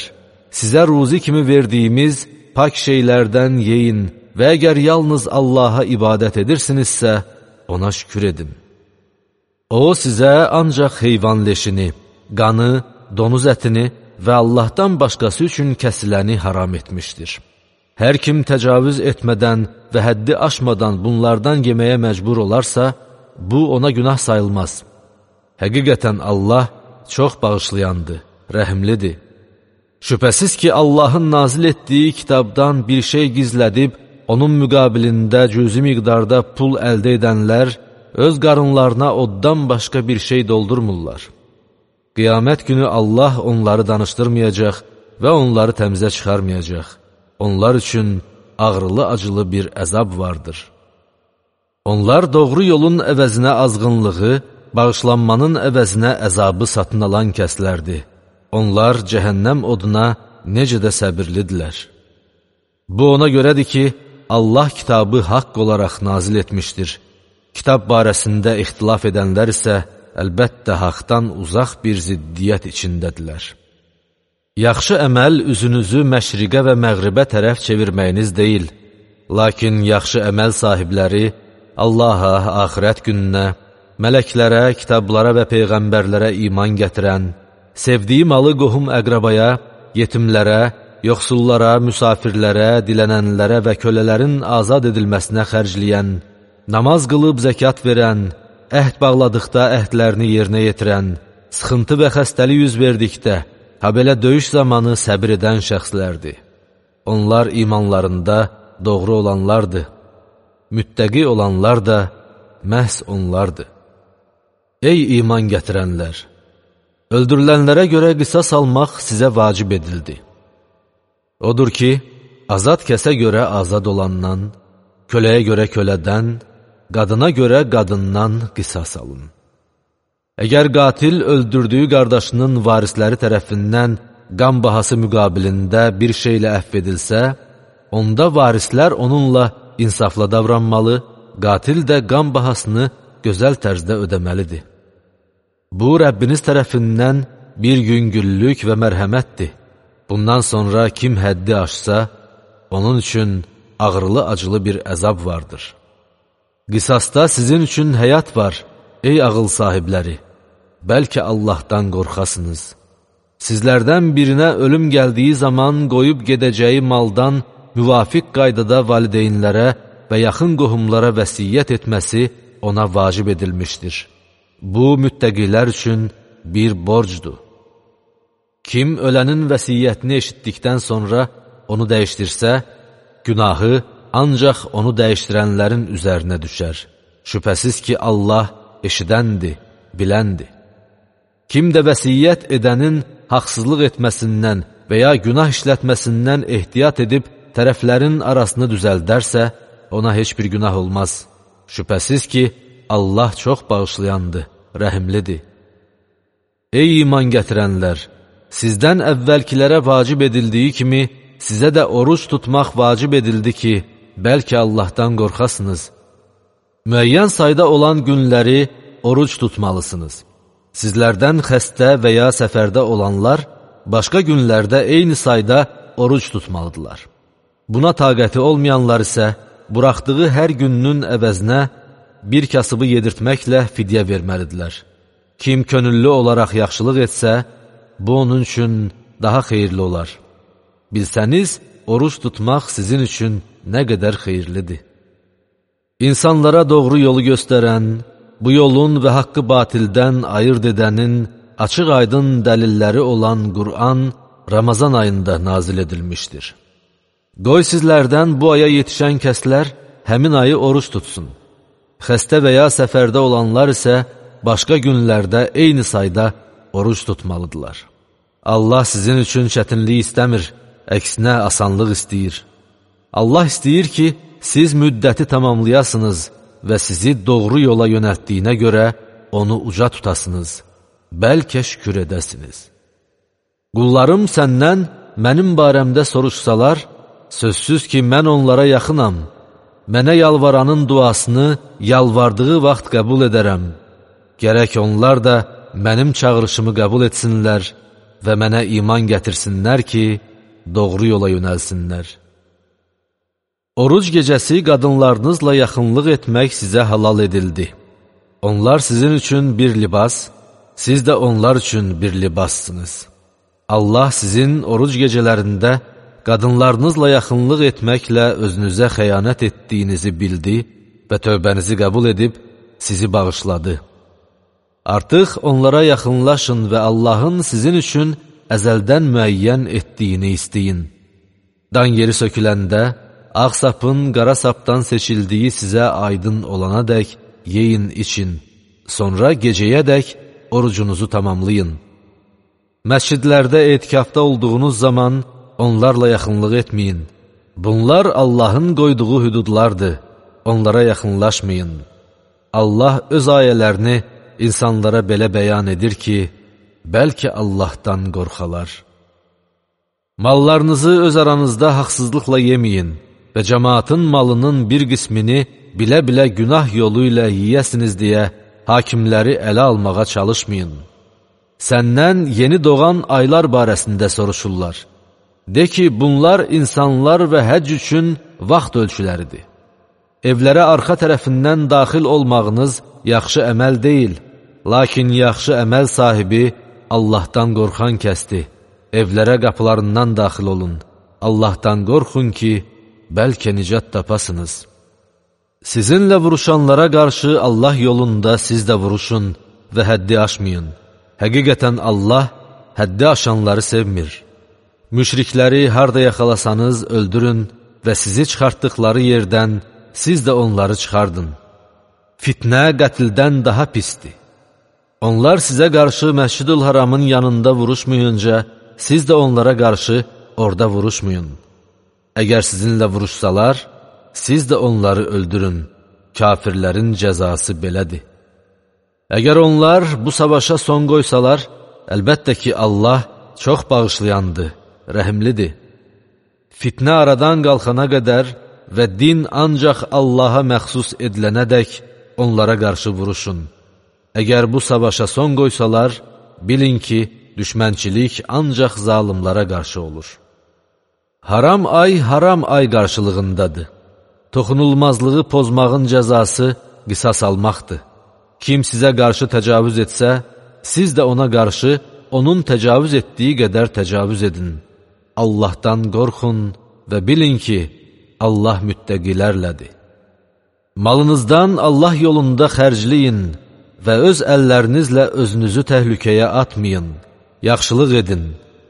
Speaker 1: Sizə ruzi kimi verdiyimiz pak şeylərdən yeyin və əgər yalnız Allaha ibadət edirsinizsə, ona şükür edin. O sizə ancaq heyvan leşini, qanı, donuz ətini və Allahdan başqası üçün kəsiləni haram etmişdir. Hər kim təcavüz etmədən və həddi aşmadan bunlardan yeməyə məcbur olarsa, bu ona günah sayılmaz. Həqiqətən Allah çox bağışlayandır, rəhimlidir. Şübhəsiz ki, Allahın nazil etdiyi kitabdan bir şey gizlədib, onun müqabilində cüzi miqdarda pul əldə edənlər, öz qarınlarına oddan başqa bir şey doldurmurlar. Qiyamət günü Allah onları danışdırmayacaq və onları təmizə çıxarmayacaq. Onlar üçün ağrılı-acılı bir əzab vardır. Onlar doğru yolun əvəzinə azğınlığı, bağışlanmanın əvəzinə əzabı satın alan kəslərdir. Onlar cəhənnəm oduna necə də səbirlidirlər. Bu ona görədir ki, Allah kitabı haqq olaraq nazil etmişdir. Kitab barəsində ixtilaf edənlər isə əlbəttə haqdan uzaq bir ziddiyyət içindədirlər. Yaxşı əməl üzünüzü məşriqə və məğribə tərəf çevirməyiniz deyil, lakin yaxşı əməl sahibləri Allaha, axirət gününə, mələklərə, kitablara və peyğəmbərlərə iman gətirən, sevdiyi malı qohum əqrabaya, yetimlərə, yoxsullara, müsafirlərə, dilənənlərə və kölələrin azad edilməsinə xərcləyən, namaz qılıb zəkat verən, əhd bağladıqda əhdlərini yerinə yetirən, sıxıntı və xəstəlik yüz verdikdə, habelə döyüş zamanı səbir edən şəxslərdir. Onlar imanlarında doğru olanlardır. Müttəqi olanlar da məhz onlardır. Ey iman gətirənlər! Öldürülənlərə görə qisas almaq sizə vacib edildi. Odur ki, azad kəsə görə azad olandan, köləyə görə kölədən, qadına görə qadından qisas alın. Əgər qatil öldürdüyü qardaşının varisləri tərəfindən qan bahası müqabilində bir şeylə əhv edilsə, onda varislər onunla insafla davranmalı, qatil də qan bahasını gözəl tərzdə ödəməlidir. Bu, Rəbbiniz tərəfindən bir yüngüllük və mərhəmətdir. Bundan sonra kim həddi aşsa, onun üçün ağrılı-acılı bir əzab vardır. Qisasda sizin üçün həyat var, ey ağıl sahibləri. Bəlkə Allahdan qorxasınız. Sizlərdən birinə ölüm gəldiyi zaman qoyub gedəcəyi maldan müvafiq qaydada valideynlərə və yaxın qohumlara vəsiyyət etməsi ona vacib edilmişdir. Bu, müttəqilər üçün bir borcdur. Kim ölənin vəsiyyətini eşitdikdən sonra onu dəyişdirsə, günahı ancaq onu dəyişdirənlərin üzərinə düşər. Şübhəsiz ki, Allah eşidəndir, biləndir. Kim də vəsiyyət edənin haqsızlıq etməsindən və ya günah işlətməsindən ehtiyat edib tərəflərin arasını düzəldərsə, ona heç bir günah olmaz. Şübhəsiz ki, Allah çox bağışlayandır, rəhimlidir. Ey iman gətirənlər! Sizdən əvvəlkilərə vacib edildiyi kimi, sizə də oruç tutmaq vacib edildi ki, bəlkə Allahdan qorxasınız. Müəyyən sayda olan günləri oruç tutmalısınız. Sizlərdən xəstə və ya səfərdə olanlar başqa günlərdə eyni sayda oruc tutmalıdırlar. Buna taqəti olmayanlar isə buraxdığı hər gününün əvəzinə bir kasıbı yedirtməklə fidyə verməlidirlər. Kim könüllü olaraq yaxşılıq etsə, bu onun üçün daha xeyirli olar. Bilsəniz, oruç tutmaq sizin üçün nə qədər xeyirlidir. İnsanlara doğru yolu göstərən, bu yolun və haqqı batildən ayırt edənin açıq-aydın dəlilləri olan Qur'an Ramazan ayında nazil edilmişdir. Qoy sizlərdən bu aya yetişən kəslər həmin ayı oruç tutsun. Xəstə və ya səfərdə olanlar isə başqa günlərdə eyni sayda oruç tutmalıdırlar. Allah sizin üçün çətinlik istəmir, əksinə asanlıq istəyir. Allah istəyir ki, siz müddəti tamamlayasınız və sizi doğru yola yönəltdiyinə görə onu uca tutasınız, bəlkə şükür edəsiniz. Qullarım səndən mənim barəmdə soruşsalar, sözsüz ki, mən onlara yaxınam, mənə yalvaranın duasını yalvardığı vaxt qəbul edərəm. Gərək onlar da mənim çağırışımı qəbul etsinlər və mənə iman gətirsinlər ki, doğru yola yönəlsinlər. Oruc gecəsi qadınlarınızla yaxınlıq etmək sizə halal edildi. Onlar sizin üçün bir libas, siz də onlar üçün bir libassınız. Allah sizin oruc gecələrində qadınlarınızla yaxınlıq etməklə özünüzə xəyanət etdiyinizi bildi və tövbənizi qəbul edib sizi bağışladı. Artıq onlara yaxınlaşın və Allahın sizin üçün əzəldən müəyyən etdiyini istəyin. Dan yeri söküləndə, ağ sapın qara sapdan seçildiyi sizə aydın olana dək yeyin için, sonra gecəyə dək orucunuzu tamamlayın. Məscidlərdə etikafda olduğunuz zaman onlarla yaxınlıq etməyin. Bunlar Allahın qoyduğu hüdudlardır, onlara yaxınlaşmayın. Allah öz ayələrini insanlara belə bəyan edir ki, bəlkə Allahdan qorxalar. Mallarınızı öz aranızda haqsızlıqla yeməyin və cəmaatın malının bir qismini bilə-bilə günah yolu ilə yiyəsiniz deyə hakimləri ələ almağa çalışmayın. Səndən yeni doğan aylar barəsində soruşurlar. De ki, bunlar insanlar və həcc üçün vaxt ölçüləridir. Evlərə arxa tərəfindən daxil olmağınız yaxşı əməl deyil, lakin yaxşı əməl sahibi Allahdan qorxan kəsdir. Evlərə qapılarından daxil olun. Allahdan qorxun ki, bəlkə nicat tapasınız. Sizinlə vuruşanlara qarşı Allah yolunda siz də vuruşun və həddi aşmayın. Həqiqətən Allah həddi aşanları sevmir. Müşrikləri harda yaxalasanız öldürün və sizi çıxartdıqları yerdən siz də onları çıxardın. Fitnə qətldən daha pisdir. Onlar sizə qarşı Məscid-ül Haramın yanında vuruşmayınca, siz də onlara qarşı orada vuruşmayın. Əgər sizinlə vuruşsalar, siz də onları öldürün. Kafirlərin cəzası belədir. Əgər onlar bu savaşa son qoysalar, əlbəttə ki, Allah çox bağışlayandır, rəhimlidir. Fitnə aradan qalxana qədər və din ancaq Allaha məxsus edilənədək onlara qarşı vuruşun. Əgər bu savaşa son qoysalar, bilin ki, düşmənçilik ancaq zalimlara qarşı olur. Haram ay qarşılığındadır. Toxunulmazlığı pozmağın cəzası qisas almaqdır. Kim sizə qarşı təcavüz etsə, siz də ona qarşı onun təcavüz etdiyi qədər təcavüz edin. Allahdan qorxun və bilin ki, Allah müttəqilərlədir. Malınızdan Allah yolunda xərcləyin və öz əllərinizlə özünüzü təhlükəyə atmayın. Yaxşılıq edin.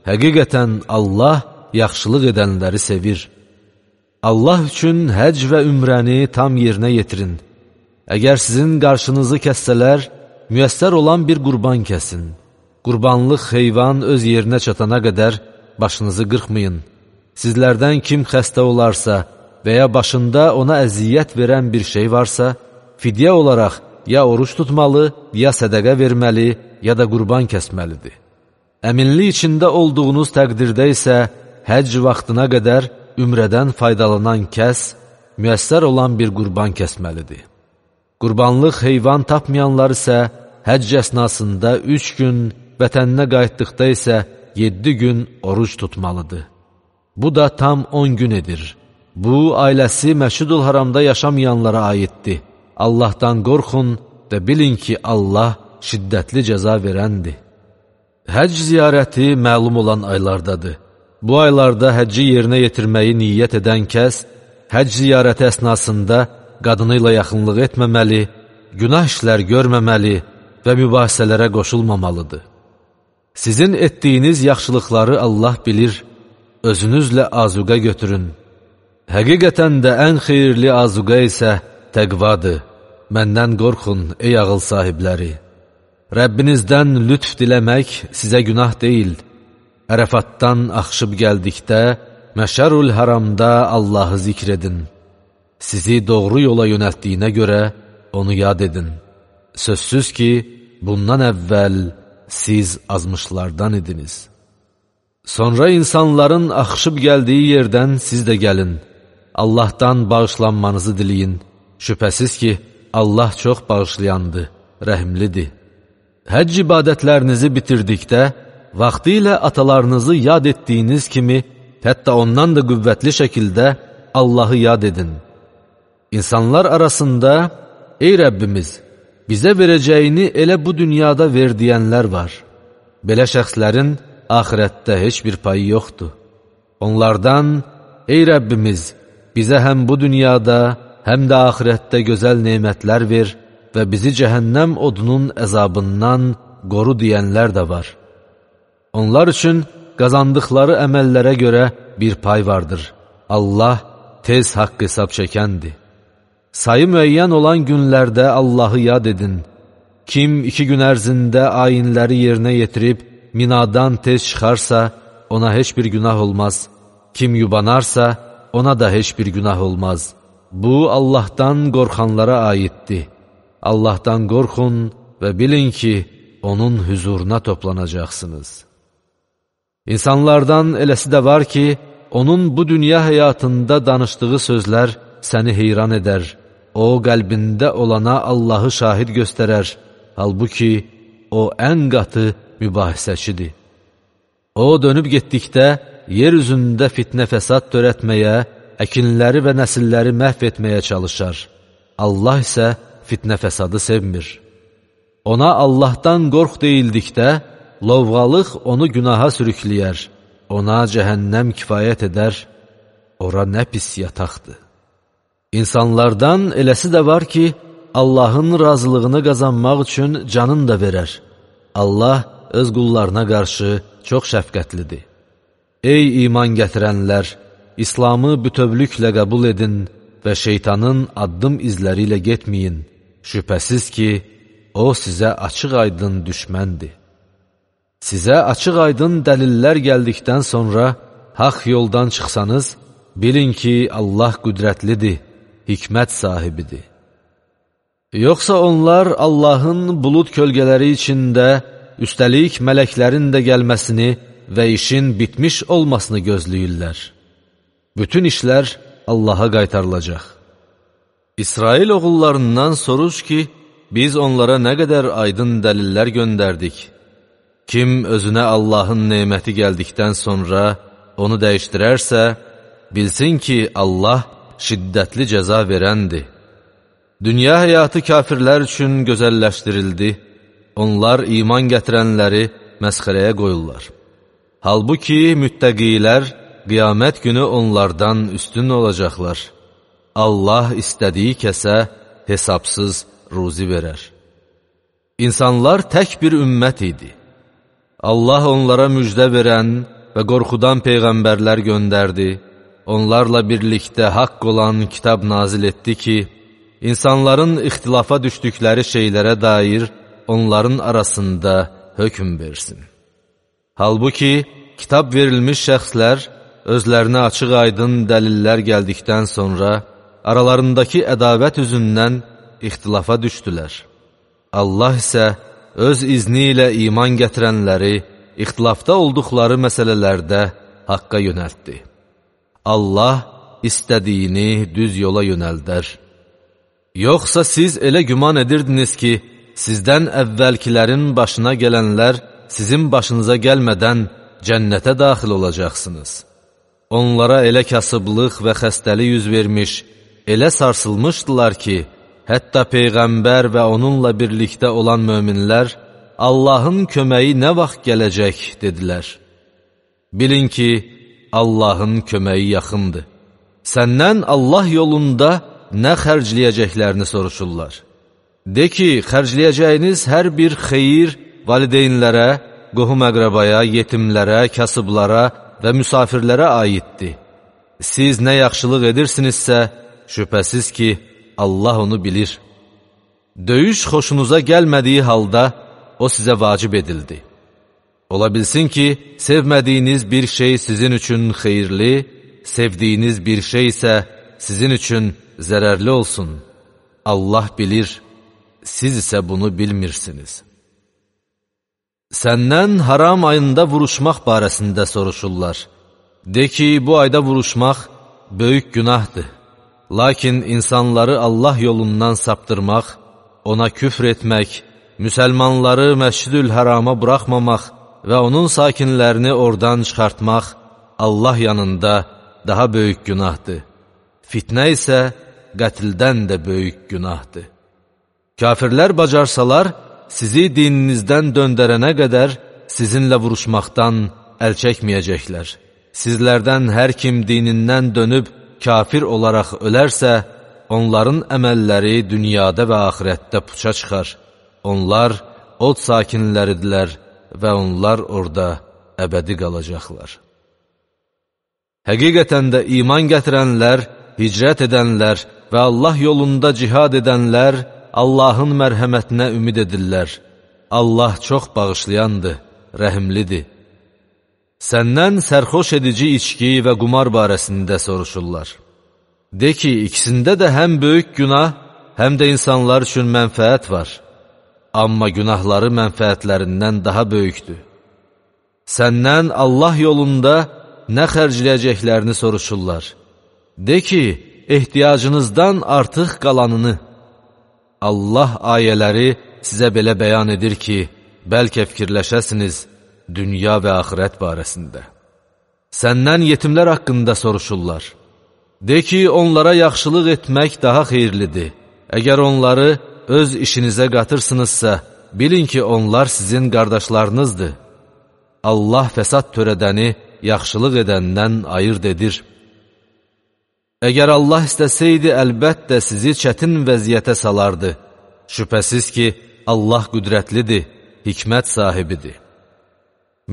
Speaker 1: Həqiqətən Allah yaxşılıq edənləri sevir. Allah üçün həcc və ümrəni tam yerinə yetirin. Əgər sizin qarşınızı kəssələr, müyəssər olan bir qurban kəsin. Qurbanlıq heyvan öz yerinə çatana qədər başınızı qırxmayın. Sizlərdən kim xəstə olarsa və ya başında ona əziyyət verən bir şey varsa, fidyə olaraq ya oruç tutmalı, ya sədəqə verməli, ya da qurban kəsməlidir. Əminlik içində olduğunuz təqdirdə isə həcc vaxtına qədər ümrədən faydalanan kəs, müyəssər olan bir qurban kəsməlidir. Qurbanlıq heyvan tapmayanlar isə həcc əsnasında 3 gün, vətəninə qayıtdıqda isə 7 gün oruc tutmalıdır. Bu da tam 10 gün edir. Bu, ailəsi Məşidül Haramda yaşamayanlara aiddir. Allahdan qorxun və bilin ki, Allah şiddətli cəza verəndir. Həcc ziyarəti məlum olan aylardadır. Bu aylarda həcci yerinə yetirməyi niyyət edən kəs, həcc ziyarəti əsnasında qadını ilə yaxınlıq etməməli, günah işlər görməməli və mübahisələrə qoşulmamalıdır. Sizin etdiyiniz yaxşılıqları Allah bilir, özünüzlə azuqa götürün. Həqiqətən də ən xeyirli azuqa isə təqvadır. Məndən qorxun, ey ağıl sahibləri. Rəbbinizdən lütf diləmək sizə günah deyil. Ərəfatdan axışıb gəldikdə, Məşərül Haramda Allahı zikr edin. Sizi doğru yola yönəltdiyinə görə onu yad edin. Sözsüz ki, bundan əvvəl siz azmışlardan idiniz. Sonra insanların axışıb gəldiyi yerdən siz də gəlin. Allahdan bağışlanmanızı diləyin. Şübhəsiz ki, Allah çox bağışlayandır, rəhimlidir. Həcc ibadətlərinizi bitirdikdə, vaxtı ilə atalarınızı yad etdiyiniz kimi, hətta ondan da qüvvətli şəkildə Allahı yad edin. İnsanlar arasında, ey Rəbbimiz, bizə verəcəyini elə bu dünyada ver deyənlər var. Belə şəxslərin axirətdə heç bir payı yoxdur. Onlardan, ey Rəbbimiz, bizə həm bu dünyada, həm də axirətdə gözəl nemətlər ver və bizi cəhənnəm odunun əzabından qoru deyənlər də var. Onlar üçün qazandıqları əməllərə görə bir pay vardır. Allah tez haqq hesab çəkəndir. Sayı müəyyən olan günlərdə Allahı yad edin. Kim 2 gün ərzində ayinləri yerinə yetirib, minadan tez çıxarsa, ona heç bir günah olmaz. Kim yubanarsa, ona da heç bir günah olmaz. Bu, Allahdan qorxanlara aiddir. Allahdan qorxun və bilin ki, onun huzuruna toplanacaqsınız. İnsanlardan eləsi də var ki, onun bu dünya həyatında danışdığı sözlər səni heyran edər. O, qəlbində olana Allahı şahid göstərər. Halbuki, o ən qatı mübahisəçidir. O, dönüb getdikdə, yer üzündə fitnə fəsad törətməyə, əkinləri və nəsilləri məhv etməyə çalışar. Allah isə fitnə fəsadı sevmir. Ona Allahdan qorx deyildikdə, lovğalıq onu günaha sürükləyər. Ona cəhənnəm kifayət edər, ora nə pis yataqdır. İnsanlardan eləsi də var ki, Allahın razılığını qazanmaq üçün canın da verər. Allah öz qullarına qarşı çox şəfqətlidir. Ey iman gətirənlər! İslamı bütövlüklə qəbul edin və şeytanın addım izləri ilə getməyin. Şübhəsiz ki, o sizə açıq-aydın düşməndir. Sizə açıq-aydın dəlillər gəldikdən sonra haqq yoldan çıxsanız, bilin ki, Allah qüdrətlidir, hikmət sahibidir. Yoxsa onlar Allahın bulud kölgələri içində, üstəlik mələklərin də gəlməsini və işin bitmiş olmasını gözləyirlər. Bütün işlər Allaha qaytarılacaq. İsrail oğullarından soruş ki, biz onlara nə qədər aydın dəlillər göndərdik. Kim özünə Allahın neməti gəldikdən sonra onu dəyişdirərsə, bilsin ki, Allah şiddətli cəza verəndir. Dünya həyatı kafirlər üçün gözəlləşdirildi. Onlar iman gətirənləri məsxərəyə qoyurlar. Halbuki müttəqilər qiyamət günü onlardan üstün olacaqlar. Allah istədiyi kəsə hesabsız ruzi verər. İnsanlar tək bir ümmət idi. Allah onlara müjdə verən və qorxudan peyğəmbərlər göndərdi. Onlarla birlikdə haqq olan kitab nazil etdi ki, insanların ixtilafa düşdükləri şeylərə dair onların arasında hökm versin. Halbuki, kitab verilmiş şəxslər özlərinə açıq-aydın dəlillər gəldikdən sonra aralarındakı ədavət üzündən ixtilafa düşdülər. Allah isə öz izni ilə iman gətirənləri ixtilafda olduqları məsələlərdə haqqa yönəltdi. Allah istədiyini düz yola yönəldər. Yoxsa siz elə güman edirdiniz ki, sizdən əvvəlkilərin başına gələnlər sizin başınıza gəlmədən cənnətə daxil olacaqsınız. Onlara elə kasıblıq və xəstəlik yüz vermiş, elə sarsılmışdılar ki, hətta Peyğəmbər və onunla birlikdə olan möminlər Allahın köməyi nə vaxt gələcək dedilər. Bilin ki, Allahın köməyi yaxındır. Səndən Allah yolunda nə xərcləyəcəklərini soruşurlar. De ki, xərcləyəcəyiniz hər bir xeyir valideynlərə, qohum-əqrabaya, yetimlərə, kasıblara və müsafirlərə aiddir. Siz nə yaxşılıq edirsinizsə, şübhəsiz ki, Allah onu bilir. Döyüş xoşunuza gəlmədiyi halda, o sizə vacib edildi. Ola bilsin ki, sevmədiyiniz bir şey sizin üçün xeyirli, sevdiyiniz bir şey isə sizin üçün zərərli olsun. Allah bilir, siz isə bunu bilmirsiniz. Səndən haram ayında vuruşmaq barəsində soruşurlar. De ki, bu ayda vuruşmaq böyük günahdır. Lakin insanları Allah yolundan saptırmaq, ona küfr etmək, müsəlmanları Məscid-ül Hərama buraxmamaq və onun sakinlərini oradan çıxartmaq Allah yanında daha böyük günahdır. Fitnə isə qətldən də böyük günahdır. Kafirlər bacarsalar, sizi dininizdən döndərənə qədər sizinlə vuruşmaqdan əl çəkməyəcəklər. Sizlərdən hər kim dinindən dönüb kafir olaraq ölərsə, onların əməlləri dünyada və axirətdə puça çıxar. Onlar od sakinləridirlər və onlar orada əbədi qalacaqlar. Həqiqətən də iman gətirənlər, hicrət edənlər və Allah yolunda cihad edənlər Allahın mərhəmətinə ümid edirlər. Allah çox bağışlayandır, rəhimlidir. Səndən sərxoş edici içki və qumar barəsində soruşurlar. De ki, ikisində də həm böyük günah, həm də insanlar üçün mənfəət var. Amma günahları mənfəətlərindən daha böyükdür. Səndən Allah yolunda nə xərcləyəcəklərini soruşurlar. De ki, ehtiyacınızdan artıq qalanını. Allah ayələri sizə belə bəyan edir ki, bəlkə fikirləşəsiniz dünya və axirət barəsində. Səndən yetimlər haqqında soruşurlar. De ki, onlara yaxşılıq etmək daha xeyirlidir. Əgər onları öz işinizə qatırsınızsa, bilin ki, onlar sizin qardaşlarınızdır. Allah fəsad törədəni yaxşılıq edəndən ayırd edir. Əgər Allah istəsəydi, əlbəttə sizi çətin vəziyyətə salardı. Şübhəsiz ki, Allah qüdrətlidir, hikmət sahibidir.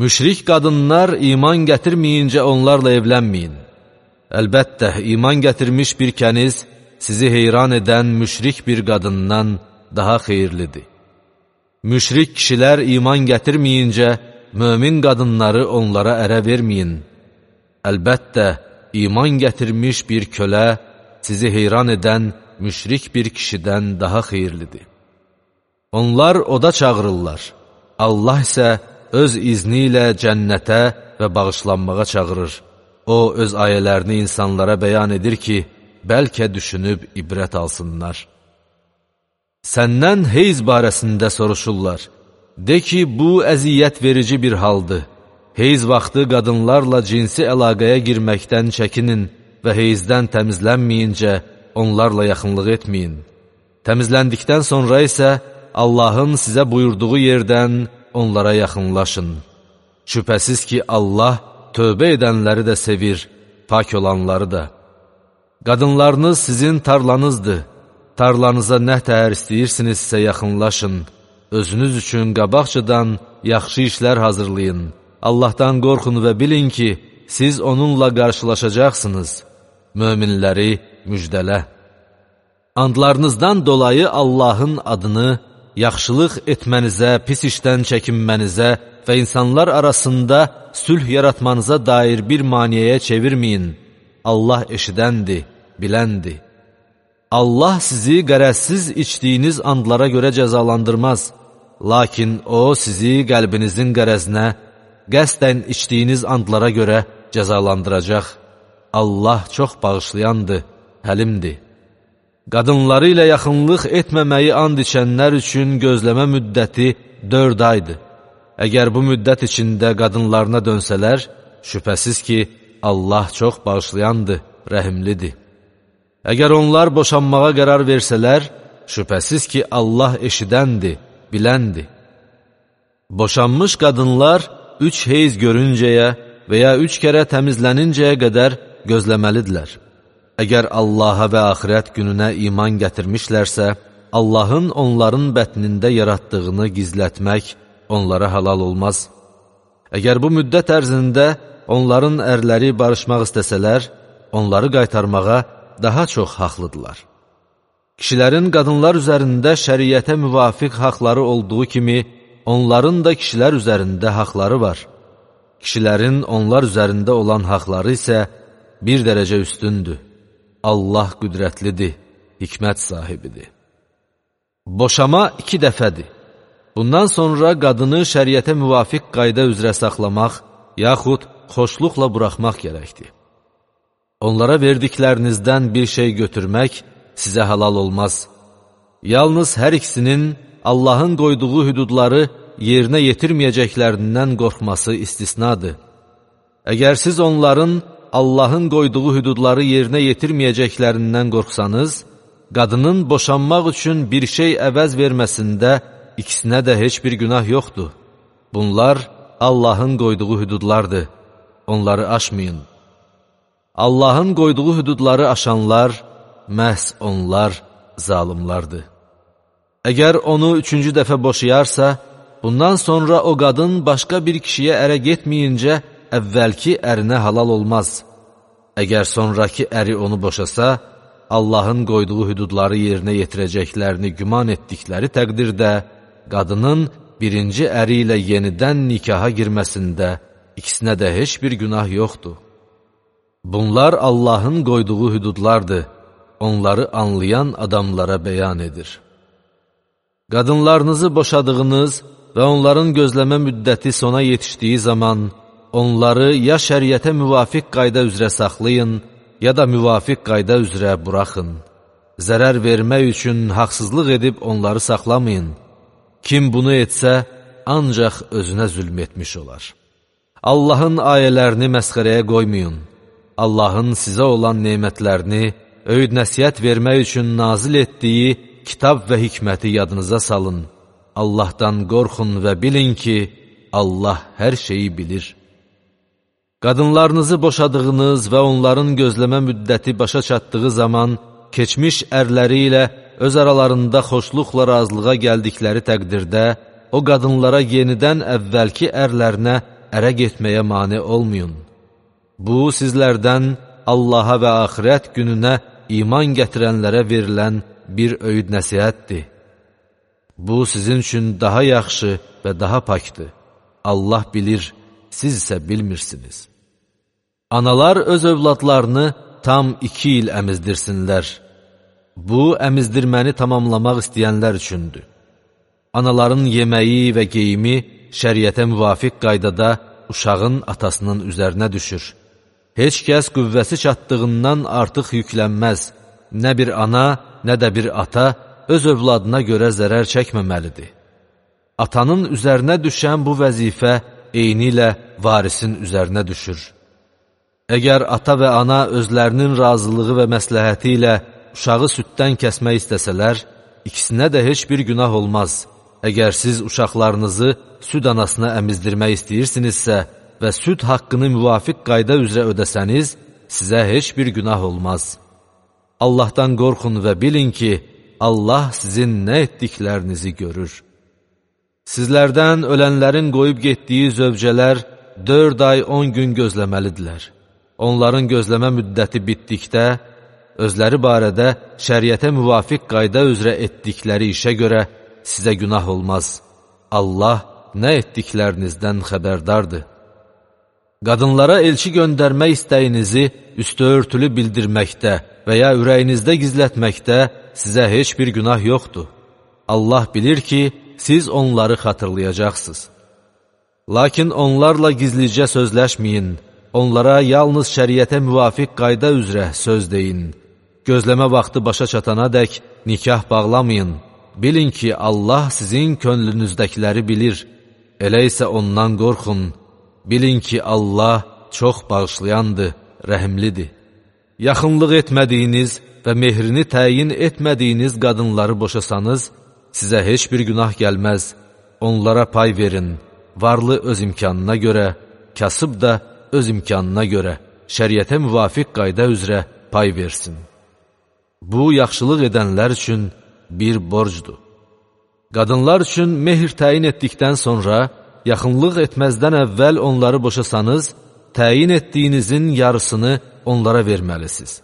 Speaker 1: Müşrik qadınlar iman gətirməyincə onlarla evlənməyin. Əlbəttə, iman gətirmiş bir kəniz sizi heyran edən müşrik bir qadından daha xeyirlidir. Müşrik kişilər iman gətirməyincə mömin qadınları onlara ərə verməyin. Əlbəttə, iman gətirmiş bir kölə sizi heyran edən müşrik bir kişidən daha xeyirlidir. Onlar oda çağırırlar. Allah isə öz izni ilə cənnətə və bağışlanmağa çağırır. O, öz ayələrini insanlara bəyan edir ki, bəlkə düşünüb ibrət alsınlar. Səndən heyz barəsində soruşurlar. De ki, bu əziyyət verici bir haldır. Heyz vaxtı qadınlarla cinsi əlaqəyə girməkdən çəkinin və heyzdən təmizlənməyincə onlarla yaxınlıq etməyin. Təmizləndikdən sonra isə Allahın sizə buyurduğu yerdən onlara yaxınlaşın. Şübhəsiz ki, Allah tövbə edənləri də sevir, pak olanları da. Qadınlarınız sizin tarlanızdır. Tarlanıza nə təhər istəyirsinizsə yaxınlaşın. Özünüz üçün qabaqcadan yaxşı işlər hazırlayın. Allahdan qorxun və bilin ki, siz onunla qarşılaşacaqsınız. Möminləri müjdələ. Andlarınızdan dolayı Allahın adını yaxşılıq etmənizə, pis işdən çəkinmənizə və insanlar arasında sülh yaratmanıza dair bir maniyəyə çevirməyin. Allah eşidəndir, biləndir. Allah sizi qərəzsiz içdiyiniz andlara görə cəzalandırmaz. Lakin O sizi qəlbinizin qərəzinə, qəsdən içdiyiniz andlara görə cəzalandıracaq. Allah çox bağışlayandır, həlimdir. Qadınları ilə yaxınlıq etməməyi and içənlər üçün gözləmə müddəti 4 aydır. Əgər bu müddət içində qadınlarına dönsələr, şübhəsiz ki, Allah çox bağışlayandır, rəhimlidir. Əgər onlar boşanmağa qərar versələr, şübhəsiz ki, Allah eşidəndir, biləndir. Boşanmış qadınlar 3 heyz görüncəyə və ya 3 kərə təmizlənincəyə qədər gözləməlidirlər. Əgər Allaha və axirət gününə iman gətirmişlərsə, Allahın onların bətnində yaratdığını gizlətmək onlara halal olmaz. Əgər bu müddət ərzində onların ərləri barışmaq istəsələr, onları qaytarmağa daha çox haqlıdırlar. Kişilərin qadınlar üzərində şəriətə müvafiq haqları olduğu kimi, onların da kişilər üzərində haqları var. Kişilərin onlar üzərində olan haqları isə bir dərəcə üstündür. Allah qüdrətlidir, hikmət sahibidir. Boşama 2 dəfədir. Bundan sonra qadını şəriətə müvafiq qayda üzrə saxlamaq, yaxud xoşluqla buraxmaq gərəkdir. Onlara verdiklərinizdən bir şey götürmək sizə halal olmaz. Yalnız hər ikisinin Allahın qoyduğu hüdudları yerinə yetirməyəcəklərindən qorxması istisnadır. Əgər siz onların Allahın qoyduğu hüdudları yerinə yetirməyəcəklərindən qorxsanız, qadının boşanmaq üçün bir şey əvəz verməsində ikisinə də heç bir günah yoxdur. Bunlar Allahın qoyduğu hüdudlardır, onları aşmayın. Allahın qoyduğu hüdudları aşanlar, məhz onlar zalimlardır. Əgər onu 3-cü dəfə boşayarsa, bundan sonra o qadın başqa bir kişiyə ərə getməyincə əvvəlki ərinə halal olmaz. Əgər sonraki əri onu boşasa, Allahın qoyduğu hüdudları yerinə yetirəcəklərini güman etdikləri təqdirdə, qadının birinci əri ilə yenidən nikaha girməsində ikisinə də heç bir günah yoxdur. Bunlar Allahın qoyduğu hüdudlardır, onları anlayan adamlara bəyan edir. Qadınlarınızı boşadığınız və onların gözləmə müddəti sona yetişdiyi zaman, onları ya şəriətə müvafiq qayda üzrə saxlayın, ya da müvafiq qayda üzrə buraxın. Zərər vermək üçün haqsızlıq edib onları saxlamayın. Kim bunu etsə, ancaq özünə zülm etmiş olar. Allahın ayələrini məsxərəyə qoymayın. Allahın sizə olan nemətlərini, öyüd nəsiyyət vermək üçün nazil etdiyi kitab və hikməti yadınıza salın. Allahdan qorxun və bilin ki, Allah hər şeyi bilir. Qadınlarınızı boşadığınız və onların gözləmə müddəti başa çatdığı zaman, keçmiş ərləri ilə öz aralarında xoşluqla razılığa gəldikləri təqdirdə, o qadınlara yenidən əvvəlki ərlərinə ərə getməyə mane olmayın. Bu, sizlərdən Allaha və axirət gününə iman gətirənlərə verilən bir öyüd nəsihətdir. Bu, sizin üçün daha yaxşı və daha pakdır. Allah bilir, siz isə bilmirsiniz. Analar öz övladlarını tam 2 il əmizdirsinlər. Bu, əmizdirməni tamamlamaq istəyənlər üçündür. Anaların yeməyi və geyimi şəriətə müvafiq qaydada uşağın atasının üzərinə düşür. Heç kəs qüvvəsi çatdığından artıq yüklənməz. Nə bir ana, nə də bir ata öz övladına görə zərər çəkməməlidir. Atanın üzərinə düşən bu vəzifə eyni ilə varisin üzərinə düşür. Əgər ata və ana özlərinin razılığı və məsləhəti ilə uşağı süddən kəsmək istəsələr, ikisinə də heç bir günah olmaz. Əgər siz uşaqlarınızı süd anasına əmizdirmək istəyirsinizsə və süd haqqını müvafiq qayda üzrə ödəsəniz, sizə heç bir günah olmaz. Allahdan qorxun və bilin ki, Allah sizin nə etdiklərinizi görür. Sizlərdən ölənlərin qoyub getdiyi zövcələr 4 ay 10 gün gözləməlidirlər. Onların gözləmə müddəti bitdikdə, özləri barədə şəriətə müvafiq qayda üzrə etdikləri işə görə sizə günah olmaz. Allah nə etdiklərinizdən xəbərdardır. Qadınlara elçi göndərmək istəyinizi üstü örtülü bildirməkdə və ya ürəyinizdə gizlətməkdə sizə heç bir günah yoxdur. Allah bilir ki, siz onları xatırlayacaqsınız. Lakin onlarla gizlicə sözləşməyin, onlara yalnız şəriətə müvafiq qayda üzrə söz deyin. Gözləmə vaxtı başa çatana dək nikah bağlamayın. Bilin ki, Allah sizin könlünüzdəkiləri bilir. Elə isə ondan qorxun. Bilin ki, Allah çox bağışlayandır, rəhimlidir. Yaxınlıq etmədiyiniz və mehrini təyin etmədiyiniz qadınları boşasanız, sizə heç bir günah gəlməz. Onlara pay verin. Varlı öz imkanına görə, kasıb da öz imkanına görə, şəriətə müvafiq qayda üzrə pay versin. Bu, yaxşılıq edənlər üçün bir borcdur. Qadınlar üçün mehr təyin etdikdən sonra, yaxınlıq etməzdən əvvəl onları boşasanız, təyin etdiyinizin yarısını onlara verməlisiniz.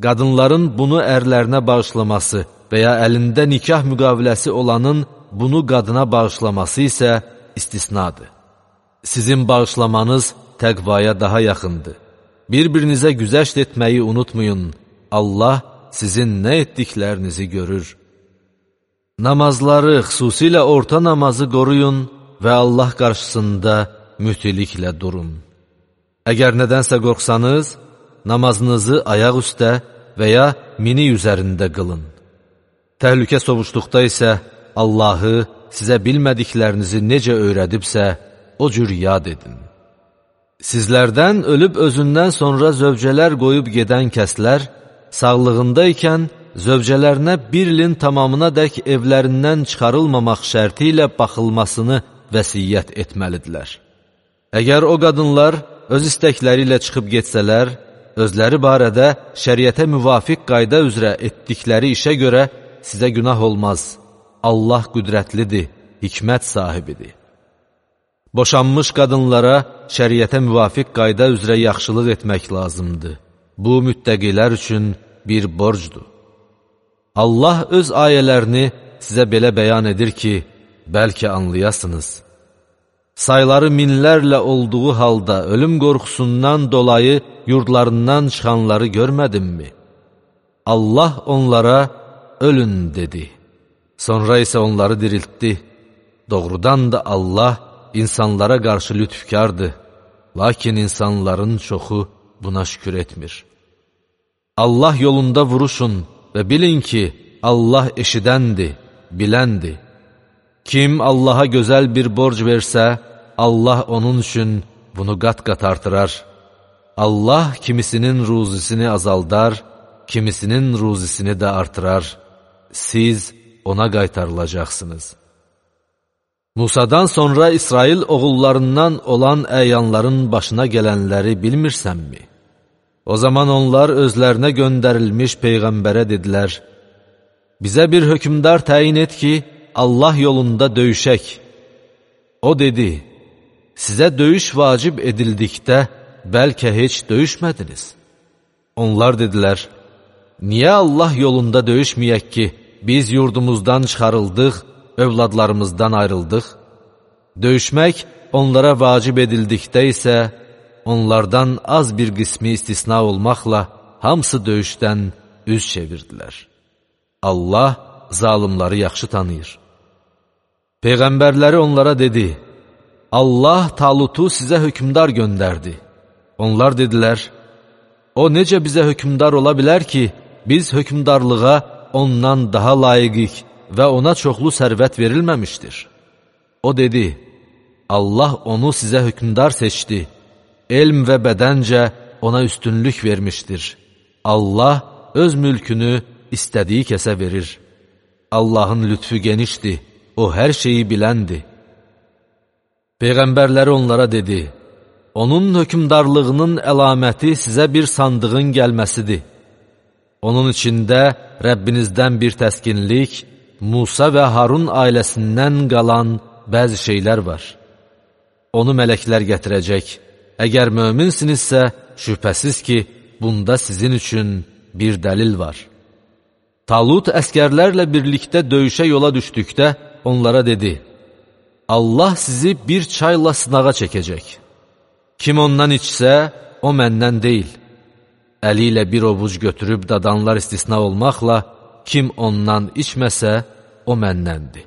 Speaker 1: Qadınların bunu ərlərinə bağışlaması və ya əlində nikah müqaviləsi olanın bunu qadına bağışlaması isə istisnadır. Sizin bağışlamanız təqvaya daha yaxındır. Bir-birinizə güzəşt etməyi unutmayın. Allah sizin nə etdiklərinizi görür. Namazları, xüsusilə orta namazı qoruyun və Allah qarşısında mütiliklə durun. Əgər nədənsə qorxsanız, namazınızı ayaq üstə və ya minik üzərində qılın. Təhlükə sovuşduqda isə Allahı sizə bilmədiklərinizi necə öyrədibsə, o cür yad edin. Sizlərdən ölüb özündən sonra zövcələr qoyub gedən kəslər, sağlığında ikən zövcələrinə bir ilin tamamına dək evlərindən çıxarılmamaq şərti ilə baxılmasını vəsiyyət etməlidirlər. Əgər o qadınlar öz istəkləri ilə çıxıb getsələr, özləri barədə şəriətə müvafiq qayda üzrə etdikləri işə görə sizə günah olmaz. Allah qüdrətlidir, hikmət sahibidir. Boşanmış qadınlara şəriətə müvafiq qayda üzrə yaxşılıq etmək lazımdır. Bu, müttəqilər üçün bir borcdur. Allah öz ayələrini sizə belə bəyan edir ki, bəlkə anlayasınız. Sayları minlərlə olduğu halda ölüm qorxusundan dolayı yurdlarından çıxanları görmədimmi? Allah onlara ölün dedi. Sonra isə onları diriltdi. Doğrudan da Allah insanlara qarşı lütfkardır. Lakin insanların çoxu buna şükür etmir. Allah yolunda vuruşun və bilin ki, Allah eşidəndir, biləndir. Kim Allaha gözəl bir borc versə, Allah onun üçün bunu qat-qat artırar. Allah kimisinin ruzisini azaldar, kimisinin ruzisini də artırar. Siz ona qaytarılacaqsınız. Musadan sonra İsrail oğullarından olan əyanların başına gələnləri bilmirsənmi? O zaman onlar özlərinə göndərilmiş Peyğəmbərə dedilər, bizə bir hökmdar təyin et ki, Allah yolunda döyüşək. O dedi, sizə döyüş vacib edildikdə bəlkə heç döyüşmədiniz. Onlar dedilər, niyə Allah yolunda döyüşməyək ki, biz yurdumuzdan çıxarıldıq, övladlarımızdan ayrıldıq? Döyüşmək onlara vacib edildikdə isə, onlardan az bir qismi istisna olmaqla hamısı döyüşdən üz çevirdilər. Allah zalımları yaxşı tanıyır. Peyğəmbərləri onlara dedi, Allah Talutu sizə hökmdar göndərdi. Onlar dedilər, o necə bizə hökmdar ola bilər ki, biz hökmdarlığa ondan daha layiqik və ona çoxlu sərvət verilməmişdir. O dedi, Allah onu sizə hökmdar seçdi. Elm və bədəncə ona üstünlük vermişdir. Allah öz mülkünü istədiyi kəsə verir. Allahın lütfü genişdir, o hər şeyi biləndir. Peyğəmbərləri onlara dedi, onun hökmdarlığının əlaməti sizə bir sandığın gəlməsidir. Onun içində Rəbbinizdən bir təskinlik, Musa və Harun ailəsindən qalan bəzi şeylər var. Onu mələklər gətirəcək. Əgər möminsinizsə, şübhəsiz ki, bunda sizin üçün bir dəlil var. Talut əskərlərlə birlikdə döyüşə yola düşdükdə onlara dedi, Allah sizi bir çayla sınağa çəkəcək. Kim ondan içsə, o məndən deyil. Əli ilə bir ovuc götürüb dadanlar istisna olmaqla, kim ondan içməsə, o məndəndir.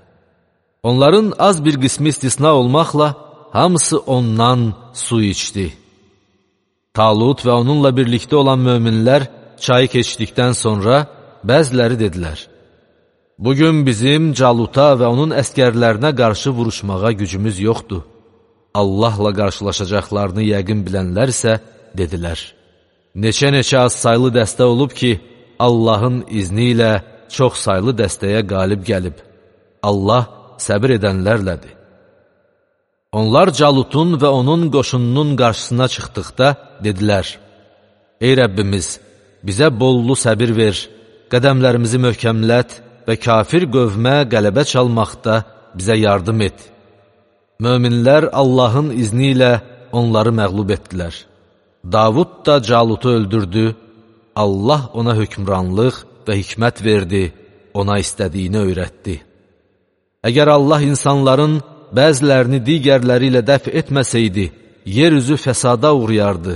Speaker 1: Onların az bir qismi istisna olmaqla, hamısı ondan su içdi. Talut və onunla birlikdə olan möminlər çayı keçdikdən sonra bəziləri dedilər: "Bugün bizim Caluta və onun əskərlərinə qarşı vuruşmağa gücümüz yoxdur." Allahla qarşılaşacaqlarını yəqin bilənlər isə dedilər: "Neçə-neçə az saylı dəstə olub ki, Allahın izni ilə çox saylı dəstəyə qalib gəlib. Allah səbir edənlərlədir." Onlar Calutun və onun qoşununun qarşısına çıxdıqda dedilər: "Ey Rəbbimiz, bizə bollu səbir ver, qədəmlərimizi möhkəmlət və kafir qövmə qələbə çalmaqda bizə yardım et." Möminlər Allahın izni ilə onları məğlub etdilər. Davud da Calutu öldürdü, Allah ona hökmranlıq və hikmət verdi, ona istədiyini öyrətdi. Əgər Allah insanların bəzilərini digərləri ilə dəf etməsəydi, yer üzü fəsada uğrayardı,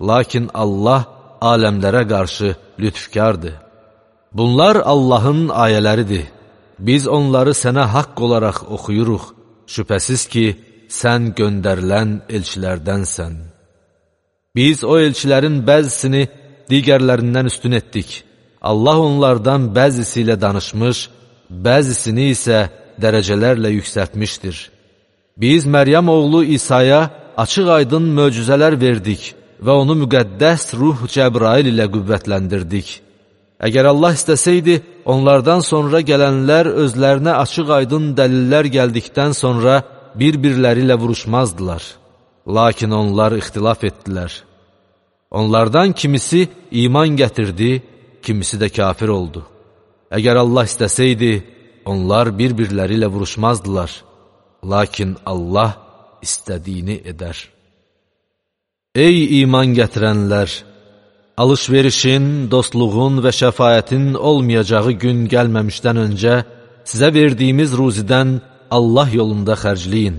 Speaker 1: lakin Allah aləmlərə qarşı lütfkardır. Bunlar Allahın ayələridir. Biz onları sənə haqq olaraq oxuyuruq. Şübhəsiz ki, sən göndərilən elçilərdənsən. Biz o elçilərin bəzisini digərlərindən üstün etdik. Allah onlardan bəzisi ilə danışmış, bəzisini isə dərəcələrlə yüksəltmişdir. Biz Məryəm oğlu İsa'ya açıq-aydın möcüzələr verdik və onu müqəddəs ruh Cəbrail ilə qüvvətləndirdik. Əgər Allah istəsəydi, onlardan sonra gələnlər özlərinə açıq-aydın dəlillər gəldikdən sonra bir-birləri ilə vuruşmazdılar. Lakin onlar ixtilaf etdilər. Onlardan kimisi iman gətirdi, kimisi də kafir oldu. Əgər Allah istəsəydi, onlar bir-birləri ilə vuruşmazdılar. Lakin Allah istədiyini edər. Ey iman gətirənlər! Alışverişin, dostluğun və şəfayətin olmayacağı gün gəlməmişdən öncə sizə verdiyimiz ruzidən Allah yolunda xərcləyin.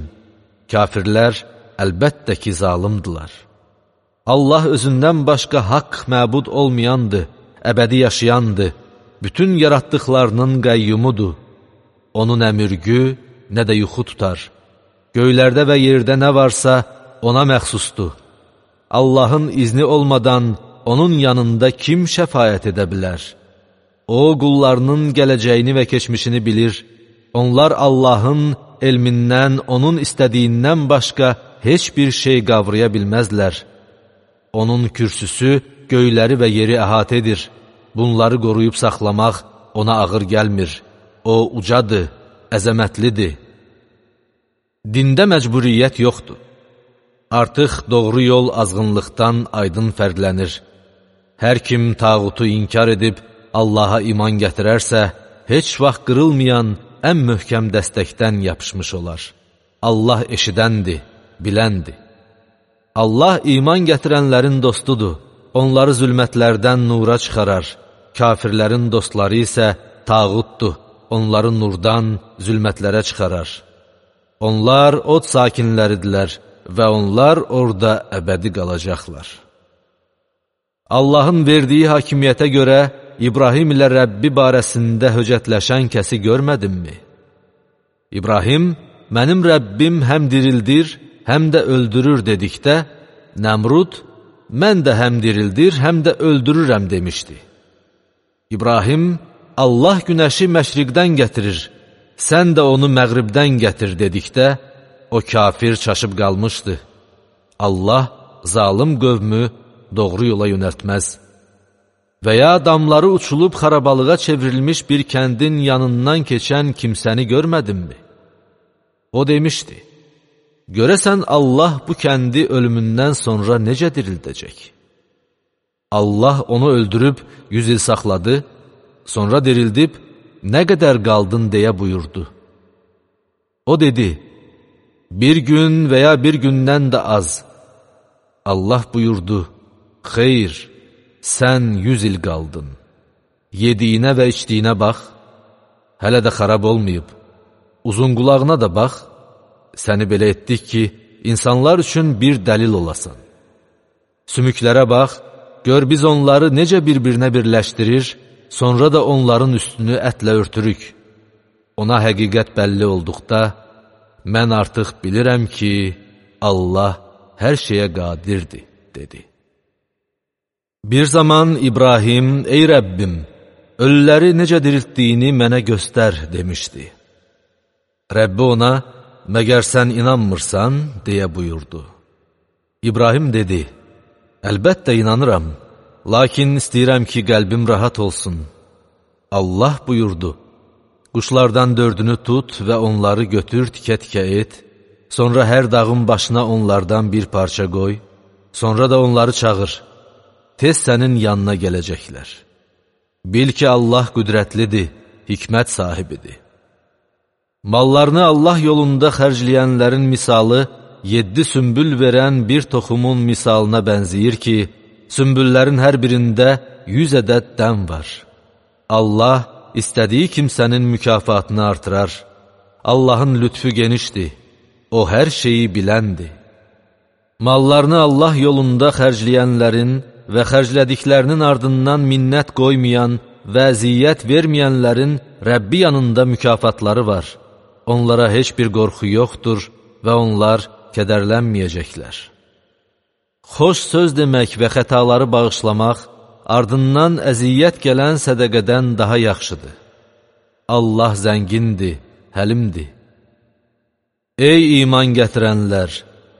Speaker 1: Kafirlər əlbəttə ki, zalimdilər. Allah özündən başqa haqq məbud olmayandır, əbədi yaşayandır, bütün yaratdıqlarının qəyyumudur. Onun nə mürgü, nə də yuxu tutar. Göylərdə və yerdə nə varsa ona məxsusdur. Allahın izni olmadan onun yanında kim şəfayət edə bilər? O, qullarının gələcəyini və keçmişini bilir. Onlar Allahın elmindən, onun istədiyindən başqa heç bir şey qavraya bilməzlər. Onun kürsüsü göyləri və yeri əhatə edir. Bunları qoruyub saxlamaq ona ağır gəlmir. O, ucadır, əzəmətlidir. Dində məcburiyyət yoxdur. Artıq doğru yol azğınlıqdan aydın fərqlənir. Hər kim tağutu inkar edib Allaha iman gətirərsə, heç vaxt qırılmayan ən möhkəm dəstəkdən yapışmış olar. Allah eşidəndir, biləndir. Allah iman gətirənlərin dostudur. Onları zülmətlərdən nura çıxarar. Kafirlərin dostları isə tağutdur. Onları nurdan zülmətlərə çıxarar. Onlar od sakinləridirlər və onlar orada əbədi qalacaqlar. Allahın verdiyi hakimiyyətə görə İbrahim ilə Rəbbi barəsində höcətləşən kəsi görmədimmi? İbrahim, mənim Rəbbim həm dirildir, həm də öldürür dedikdə, Nəmrud, mən də həm dirildir, həm də öldürürəm demişdi. İbrahim, Allah günəşi məşriqdən gətirir, sən də onu məğribdən gətir dedikdə, o kafir çaşıb qalmışdı. Allah zalim qövmü doğru yola yönəltməz. Və ya damları uçulub xarabalığa çevrilmiş bir kəndin yanından keçən kimsəni görmədinmi? O demişdi, görəsən Allah bu kəndi ölümündən sonra necə dirildəcək? Allah onu öldürüb 100 il saxladı, sonra dirildib, nə qədər qaldın deyə buyurdu. O dedi, bir gün və ya bir gündən də az. Allah buyurdu, xeyr, sən 100 il qaldın. Yediyinə və içdiyinə bax, hələ də xarab olmayıb. Uzun qulağına da bax, səni belə etdik ki, insanlar üçün bir dəlil olasan. Sümüklərə bax, gör biz onları necə bir-birinə birləşdirir, sonra da onların üstünü ətlə örtürük. Ona həqiqət bəlli olduqda, mən artıq bilirəm ki, Allah hər şeyə qadirdir, dedi. Bir zaman İbrahim, ey Rəbbim, ölüləri necə diriltdiyini mənə göstər, demişdi. Rəbbi ona, məgər sən inanmırsan, deyə buyurdu. İbrahim dedi, əlbəttə inanıram, lakin istəyirəm ki, qəlbim rahat olsun. Allah buyurdu, quşlardan 4-ünü tut və onları götür tikə-tikə et, sonra hər dağın başına onlardan bir parça qoy, sonra da onları çağır, tez sənin yanına gələcəklər. Bil ki, Allah qüdrətlidir, hikmət sahibidir. Mallarını Allah yolunda xərcləyənlərin misalı, 7 sümbül verən bir toxumun misalına bənzəyir ki, sümbüllərin hər birində 100 ədəd dən var. Allah istədiyi kimsənin mükafatını artırar. Allahın lütfü genişdir, o hər şeyi biləndir. Mallarını Allah yolunda xərcləyənlərin və xərclədiklərinin ardından minnət qoymayan və əziyyət verməyənlərin Rəbbi yanında mükafatları var. Onlara heç bir qorxu yoxdur və onlar kədərlənməyəcəklər. Xoş söz demək və xətaları bağışlamaq, ardından əziyyət gələn sədəqədən daha yaxşıdır. Allah zəngindir, həlimdir. Ey iman gətirənlər!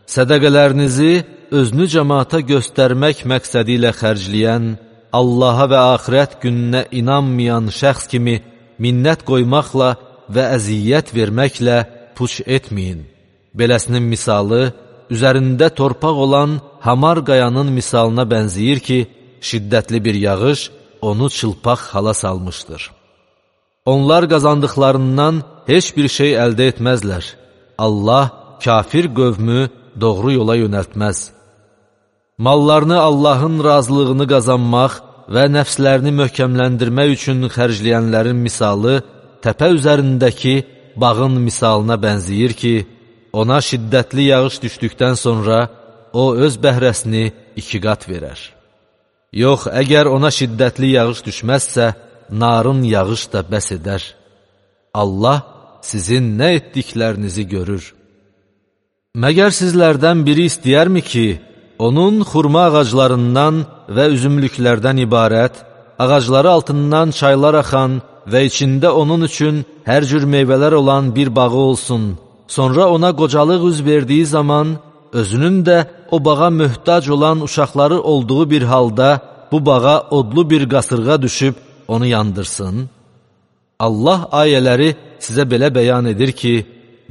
Speaker 1: Sədəqələrinizi özünü cəmaata göstərmək məqsədi ilə xərcləyən, Allaha və axirət gününə inanmayan şəxs kimi minnət qoymaqla və əziyyət verməklə puç etməyin. Beləsinin misalı, üzərində torpaq olan hamar qayanın misalına bənzəyir ki, şiddətli bir yağış onu çılpaq hala salmışdır. Onlar qazandıqlarından heç bir şey əldə etməzlər. Allah kafir qövmü doğru yola yönəltməz. Mallarını Allahın razılığını qazanmaq və nəfslərini möhkəmləndirmək üçün xərcləyənlərin misalı, təpə üzərindəki bağın misalına bənzəyir ki, ona şiddətli yağış düşdükdən sonra o öz bəhrəsini 2 qat verər. Yox, əgər ona şiddətli yağış düşməzsə, narın yağış da bəs edər. Allah sizin nə etdiklərinizi görür. Məgər sizlərdən biri istəyərmi ki, onun xurma ağaclarından və üzümlüklərdən ibarət, ağacları altından çaylar axan və içində onun üçün hər cür meyvələr olan bir bağı olsun, sonra ona qocalıq üz verdiyi zaman, özünün də o bağa möhtac olan uşaqları olduğu bir halda bu bağa odlu bir qasırğa düşüb onu yandırsın? Allah ayələri sizə belə bəyan edir ki,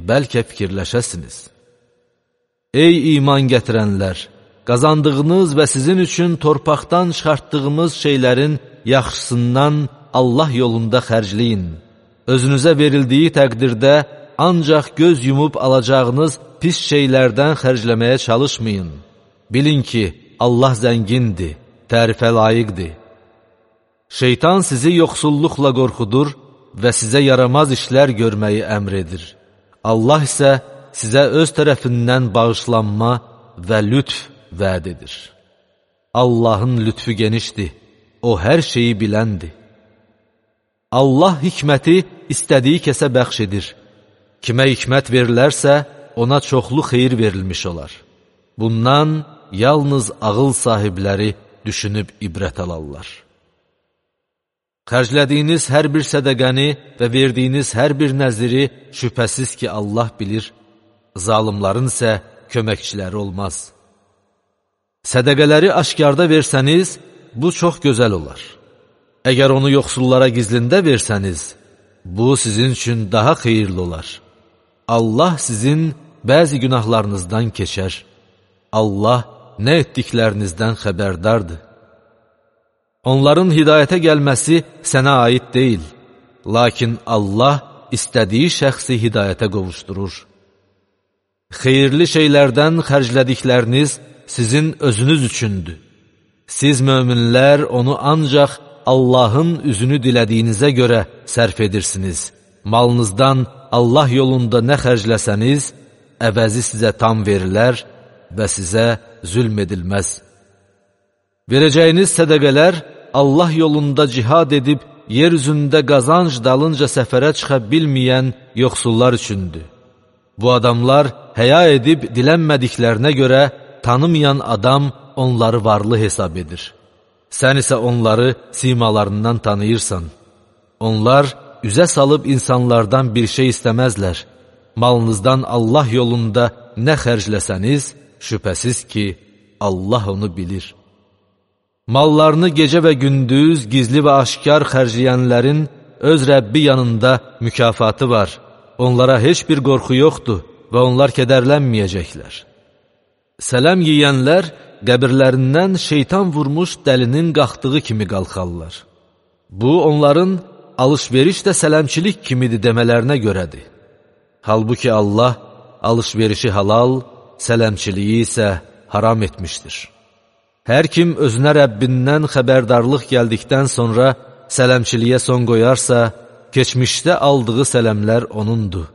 Speaker 1: bəlkə fikirləşəsiniz. Ey iman gətirənlər! Qazandığınız və sizin üçün torpaqdan çıxartdığımız şeylərin yaxşısından Allah yolunda xərcləyin. Özünüzə verildiyi təqdirdə ancaq göz yumub alacağınız pis şeylərdən xərcləməyə çalışmayın. Bilin ki, Allah zəngindir, tərifə layiqdir. Şeytan sizi yoxsulluqla qorxudur və sizə yaramaz işlər görməyi əmr edir. Allah isə sizə öz tərəfindən bağışlanma və lütf vəd edir. Allahın lütfü genişdir, o hər şeyi biləndir. Allah hikməti istədiyi kəsə bəxş edir. Kimə hikmət verilərsə, ona çoxlu xeyir verilmiş olar. Bundan yalnız ağıl sahibləri düşünüb ibrət alarlar. Xərclədiyiniz hər bir sədəqəni və verdiyiniz hər bir nəziri şübhəsiz ki, Allah bilir, zalimların isə köməkçiləri olmaz. Sədəqələri aşkarda versəniz, bu çox gözəl olar. Əgər onu yoxsullara gizlində versəniz, bu sizin üçün daha xeyirli olar. Allah sizin bəzi günahlarınızdan keçər. Allah nə etdiklərinizdən xəbərdardır. Onların hidayətə gəlməsi sənə aid deyil, lakin Allah istədiyi şəxsi hidayətə qovuşdurur. Xeyirli şeylərdən xərclədikləriniz sizin özünüz üçündür. Siz möminlər onu ancaq Allahın üzünü dilədiyinizə görə sərf edirsiniz. Malınızdan Allah yolunda nə xərcləsəniz, əvəzi sizə tam verilər və sizə zülm edilməz. Verəcəyiniz sədəqələr Allah yolunda cihad edib, yer üzündə qazanc dalınca səfərə çıxa bilməyən yoxsullar üçündür. Bu adamlar həya edib dilənmədiklərinə görə tanımayan adam onları varlı hesab edir. Sən isə onları simalarından tanıyırsan. Onlar üzə salıb insanlardan bir şey istəməzlər. Malınızdan Allah yolunda nə xərcləsəniz, şübhəsiz ki, Allah onu bilir. Mallarını gecə və gündüz, gizli və aşkar xərcləyənlərin öz Rəbbi yanında mükafatı var. Onlara heç bir qorxu yoxdur və onlar kədərlənməyəcəklər. Sələm yiyənlər qəbirlərindən şeytan vurmuş dəlinin qalxdığı kimi qalxarlar. Bu, onların alış-veriş də sələmçilik kimidir demələrinə görədir. Halbuki Allah alış-verişi halal, sələmçiliyi isə haram etmişdir. Hər kim özünə Rəbbindən xəbərdarlıq gəldikdən sonra sələmçiliyə son qoyarsa, keçmişdə aldığı sələmlər onundur.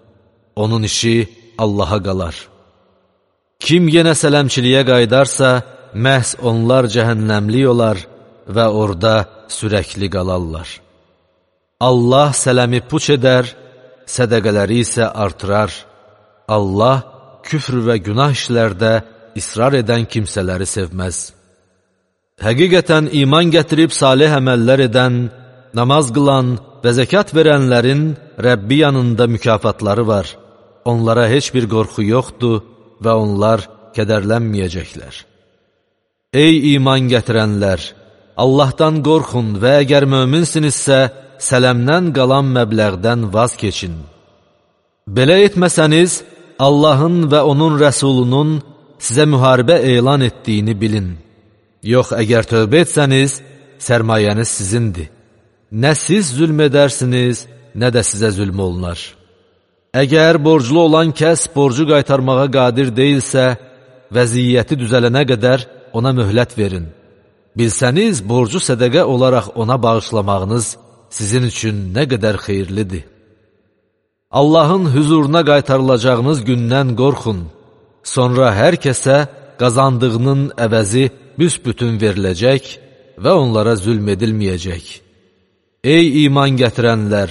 Speaker 1: Onun işi Allaha qalar. Kim yenə sələmçiliyə qaydarsa, məhz onlar cəhənnəmlik olar və orada sürəkli qalarlar. Allah sələmi puç edər, sədəqələri isə artırar. Allah küfr və günah işlərdə israr edən kimsələri sevməz. Həqiqətən iman gətirib salih əməllər edən, namaz qılan və zəkat verənlərin Rəbbi yanında mükafatları var. Onlara heç bir qorxu yoxdur və onlar kədərlənməyəcəklər. Ey iman gətirənlər! Allahdan qorxun və əgər möminsinizsə, sələmdən qalan məbləğdən vaz keçin. Belə etməsəniz, Allahın və onun rəsulunun sizə müharibə elan etdiyini bilin. Yox, əgər tövbə etsəniz, sərmayəniz sizindir. Nə siz zülm edərsiniz, nə də sizə zülm olunar. Əgər borclu olan kəs borcu qaytarmağa qadir deyilsə, vəziyyəti düzələnə qədər ona möhlət verin. Bilsəniz, borcu sədəqə olaraq ona bağışlamağınız sizin üçün nə qədər xeyirlidir. Allahın hüzuruna qaytarılacağınız gündən qorxun. Sonra hər kəsə qazandığının əvəzi büsbütün veriləcək və onlara zülm edilməyəcək. Ey iman gətirənlər!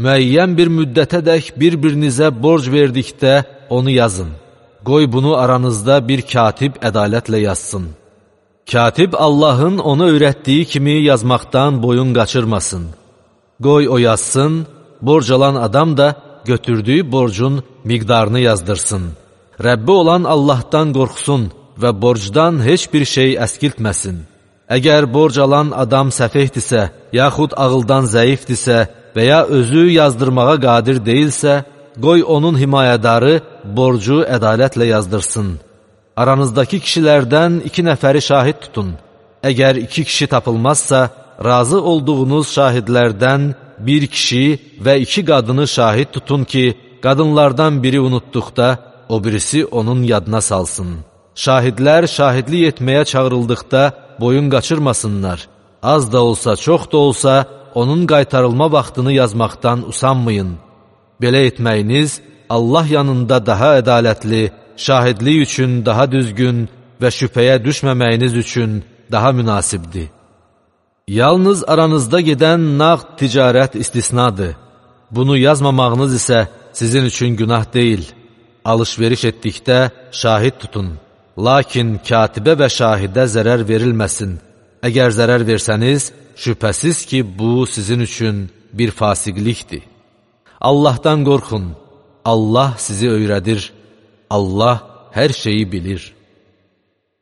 Speaker 1: Müəyyən bir müddətədək bir-birinizə borc verdikdə onu yazın. Qoy bunu aranızda bir katib ədalətlə yazsın. Katib Allahın ona öyrətdiyi kimi yazmaqdan boyun qaçırmasın. Qoy o yazsın, borc alan adam da götürdüyü borcun miqdarını yazdırsın. Rəbbi olan Allahdan qorxsun və borcdan heç bir şey əskiltməsin. Əgər borc alan adam səfehdirsə, yaxud ağıldan zəifdirsə və ya özü yazdırmağa qadir deyilsə, qoy onun himayədarı borcu ədalətlə yazdırsın. Aranızdakı kişilərdən 2 nəfəri şahid tutun. Əgər 2 kişi tapılmazsa, razı olduğunuz şahidlərdən 1 kişi və 2 qadını şahid tutun ki, qadınlardan biri unutduqda, o birisi onun yadına salsın. Şahidlər şahidlik etməyə çağırıldıqda boyun qaçırmasınlar. Az da olsa, çox da olsa, onun qaytarılma vaxtını yazmaqdan usanmayın. Belə etməyiniz Allah yanında daha ədalətli, şahidlik üçün daha düzgün və şübhəyə düşməməyiniz üçün daha münasibdir. Yalnız aranızda gedən nağd ticarət istisnadır. Bunu yazmamağınız isə sizin üçün günah deyil. Alış-veriş etdikdə şahid tutun. Lakin katibə və şahidə zərər verilməsin. Əgər zərər versəniz, şübhəsiz ki, bu sizin üçün bir fasiqlikdir. Allahdan qorxun. Allah sizi öyrədir. Allah hər şeyi bilir.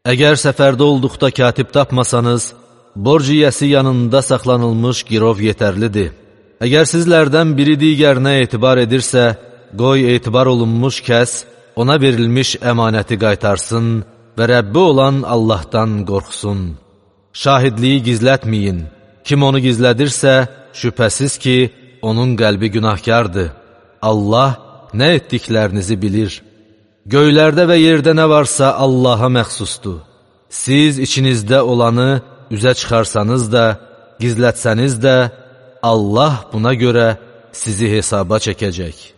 Speaker 1: Əgər səfərdə olduqda katib tapmasanız, borc yiyəsi yanında saxlanılmış girov yetərlidir. Əgər sizlərdən biri digərinə etibar edirsə, qoy etibar olunmuş kəs ona verilmiş əmanəti qaytarsın və Rəbbi olan Allahdan qorxsun. Şahidliyi gizlətməyin. Kim onu gizlədirsə, şübhəsiz ki, onun qəlbi günahkardır. Allah nə etdiklərinizi bilir. Göylərdə və yerdə nə varsa Allaha məxsusdur. Siz içinizdə olanı üzə çıxarsanız da, gizlətsəniz də, Allah buna görə sizi hesaba çəkəcək.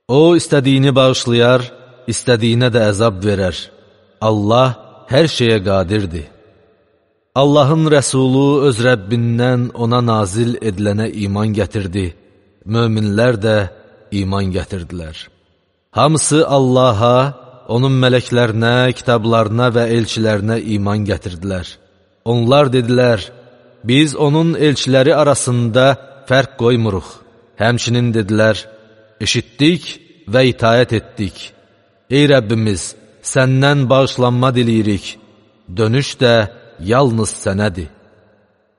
Speaker 1: O, istədiyini bağışlayar, istədiyinə də əzab verər. Allah hər şeyə qadirdir. Allahın rəsulu öz Rəbbindən ona nazil edilənə iman gətirdi. Möminlər də iman gətirdilər. Hamısı Allaha, onun mələklərinə, kitablarına və elçilərinə iman gətirdilər. Onlar dedilər, biz onun elçiləri arasında fərq qoymuruq. Həmçinin dedilər, eşitdik və itaət etdik. Ey Rəbbimiz, səndən bağışlanma diləyirik. Dönüş də yalnız sənədir.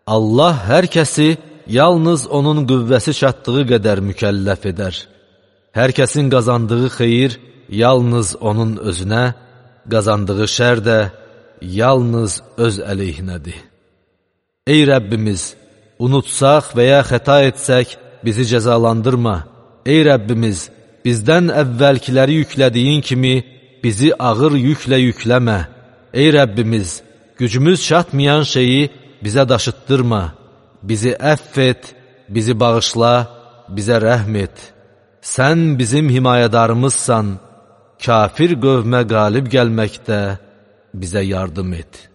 Speaker 1: Allah hər kəsi yalnız onun qüvvəsi çatdığı qədər mükəlləf edər. Hər kəsin qazandığı xeyir yalnız onun özünə, qazandığı şər də yalnız öz əleyhinədir. Ey Rəbbimiz, unutsaq və ya xəta etsək, bizi cəzalandırma. Ey Rəbbimiz, bizdən əvvəlkiləri yüklədiyin kimi bizi ağır yüklə yükləmə. Ey Rəbbimiz, gücümüz çatmayan şeyi bizə daşıtdırma. Bizi əff et, bizi bağışla, bizə rəhm et. Sən bizim himayədarımızsan, kafir qövmə qalib gəlməkdə bizə yardım et.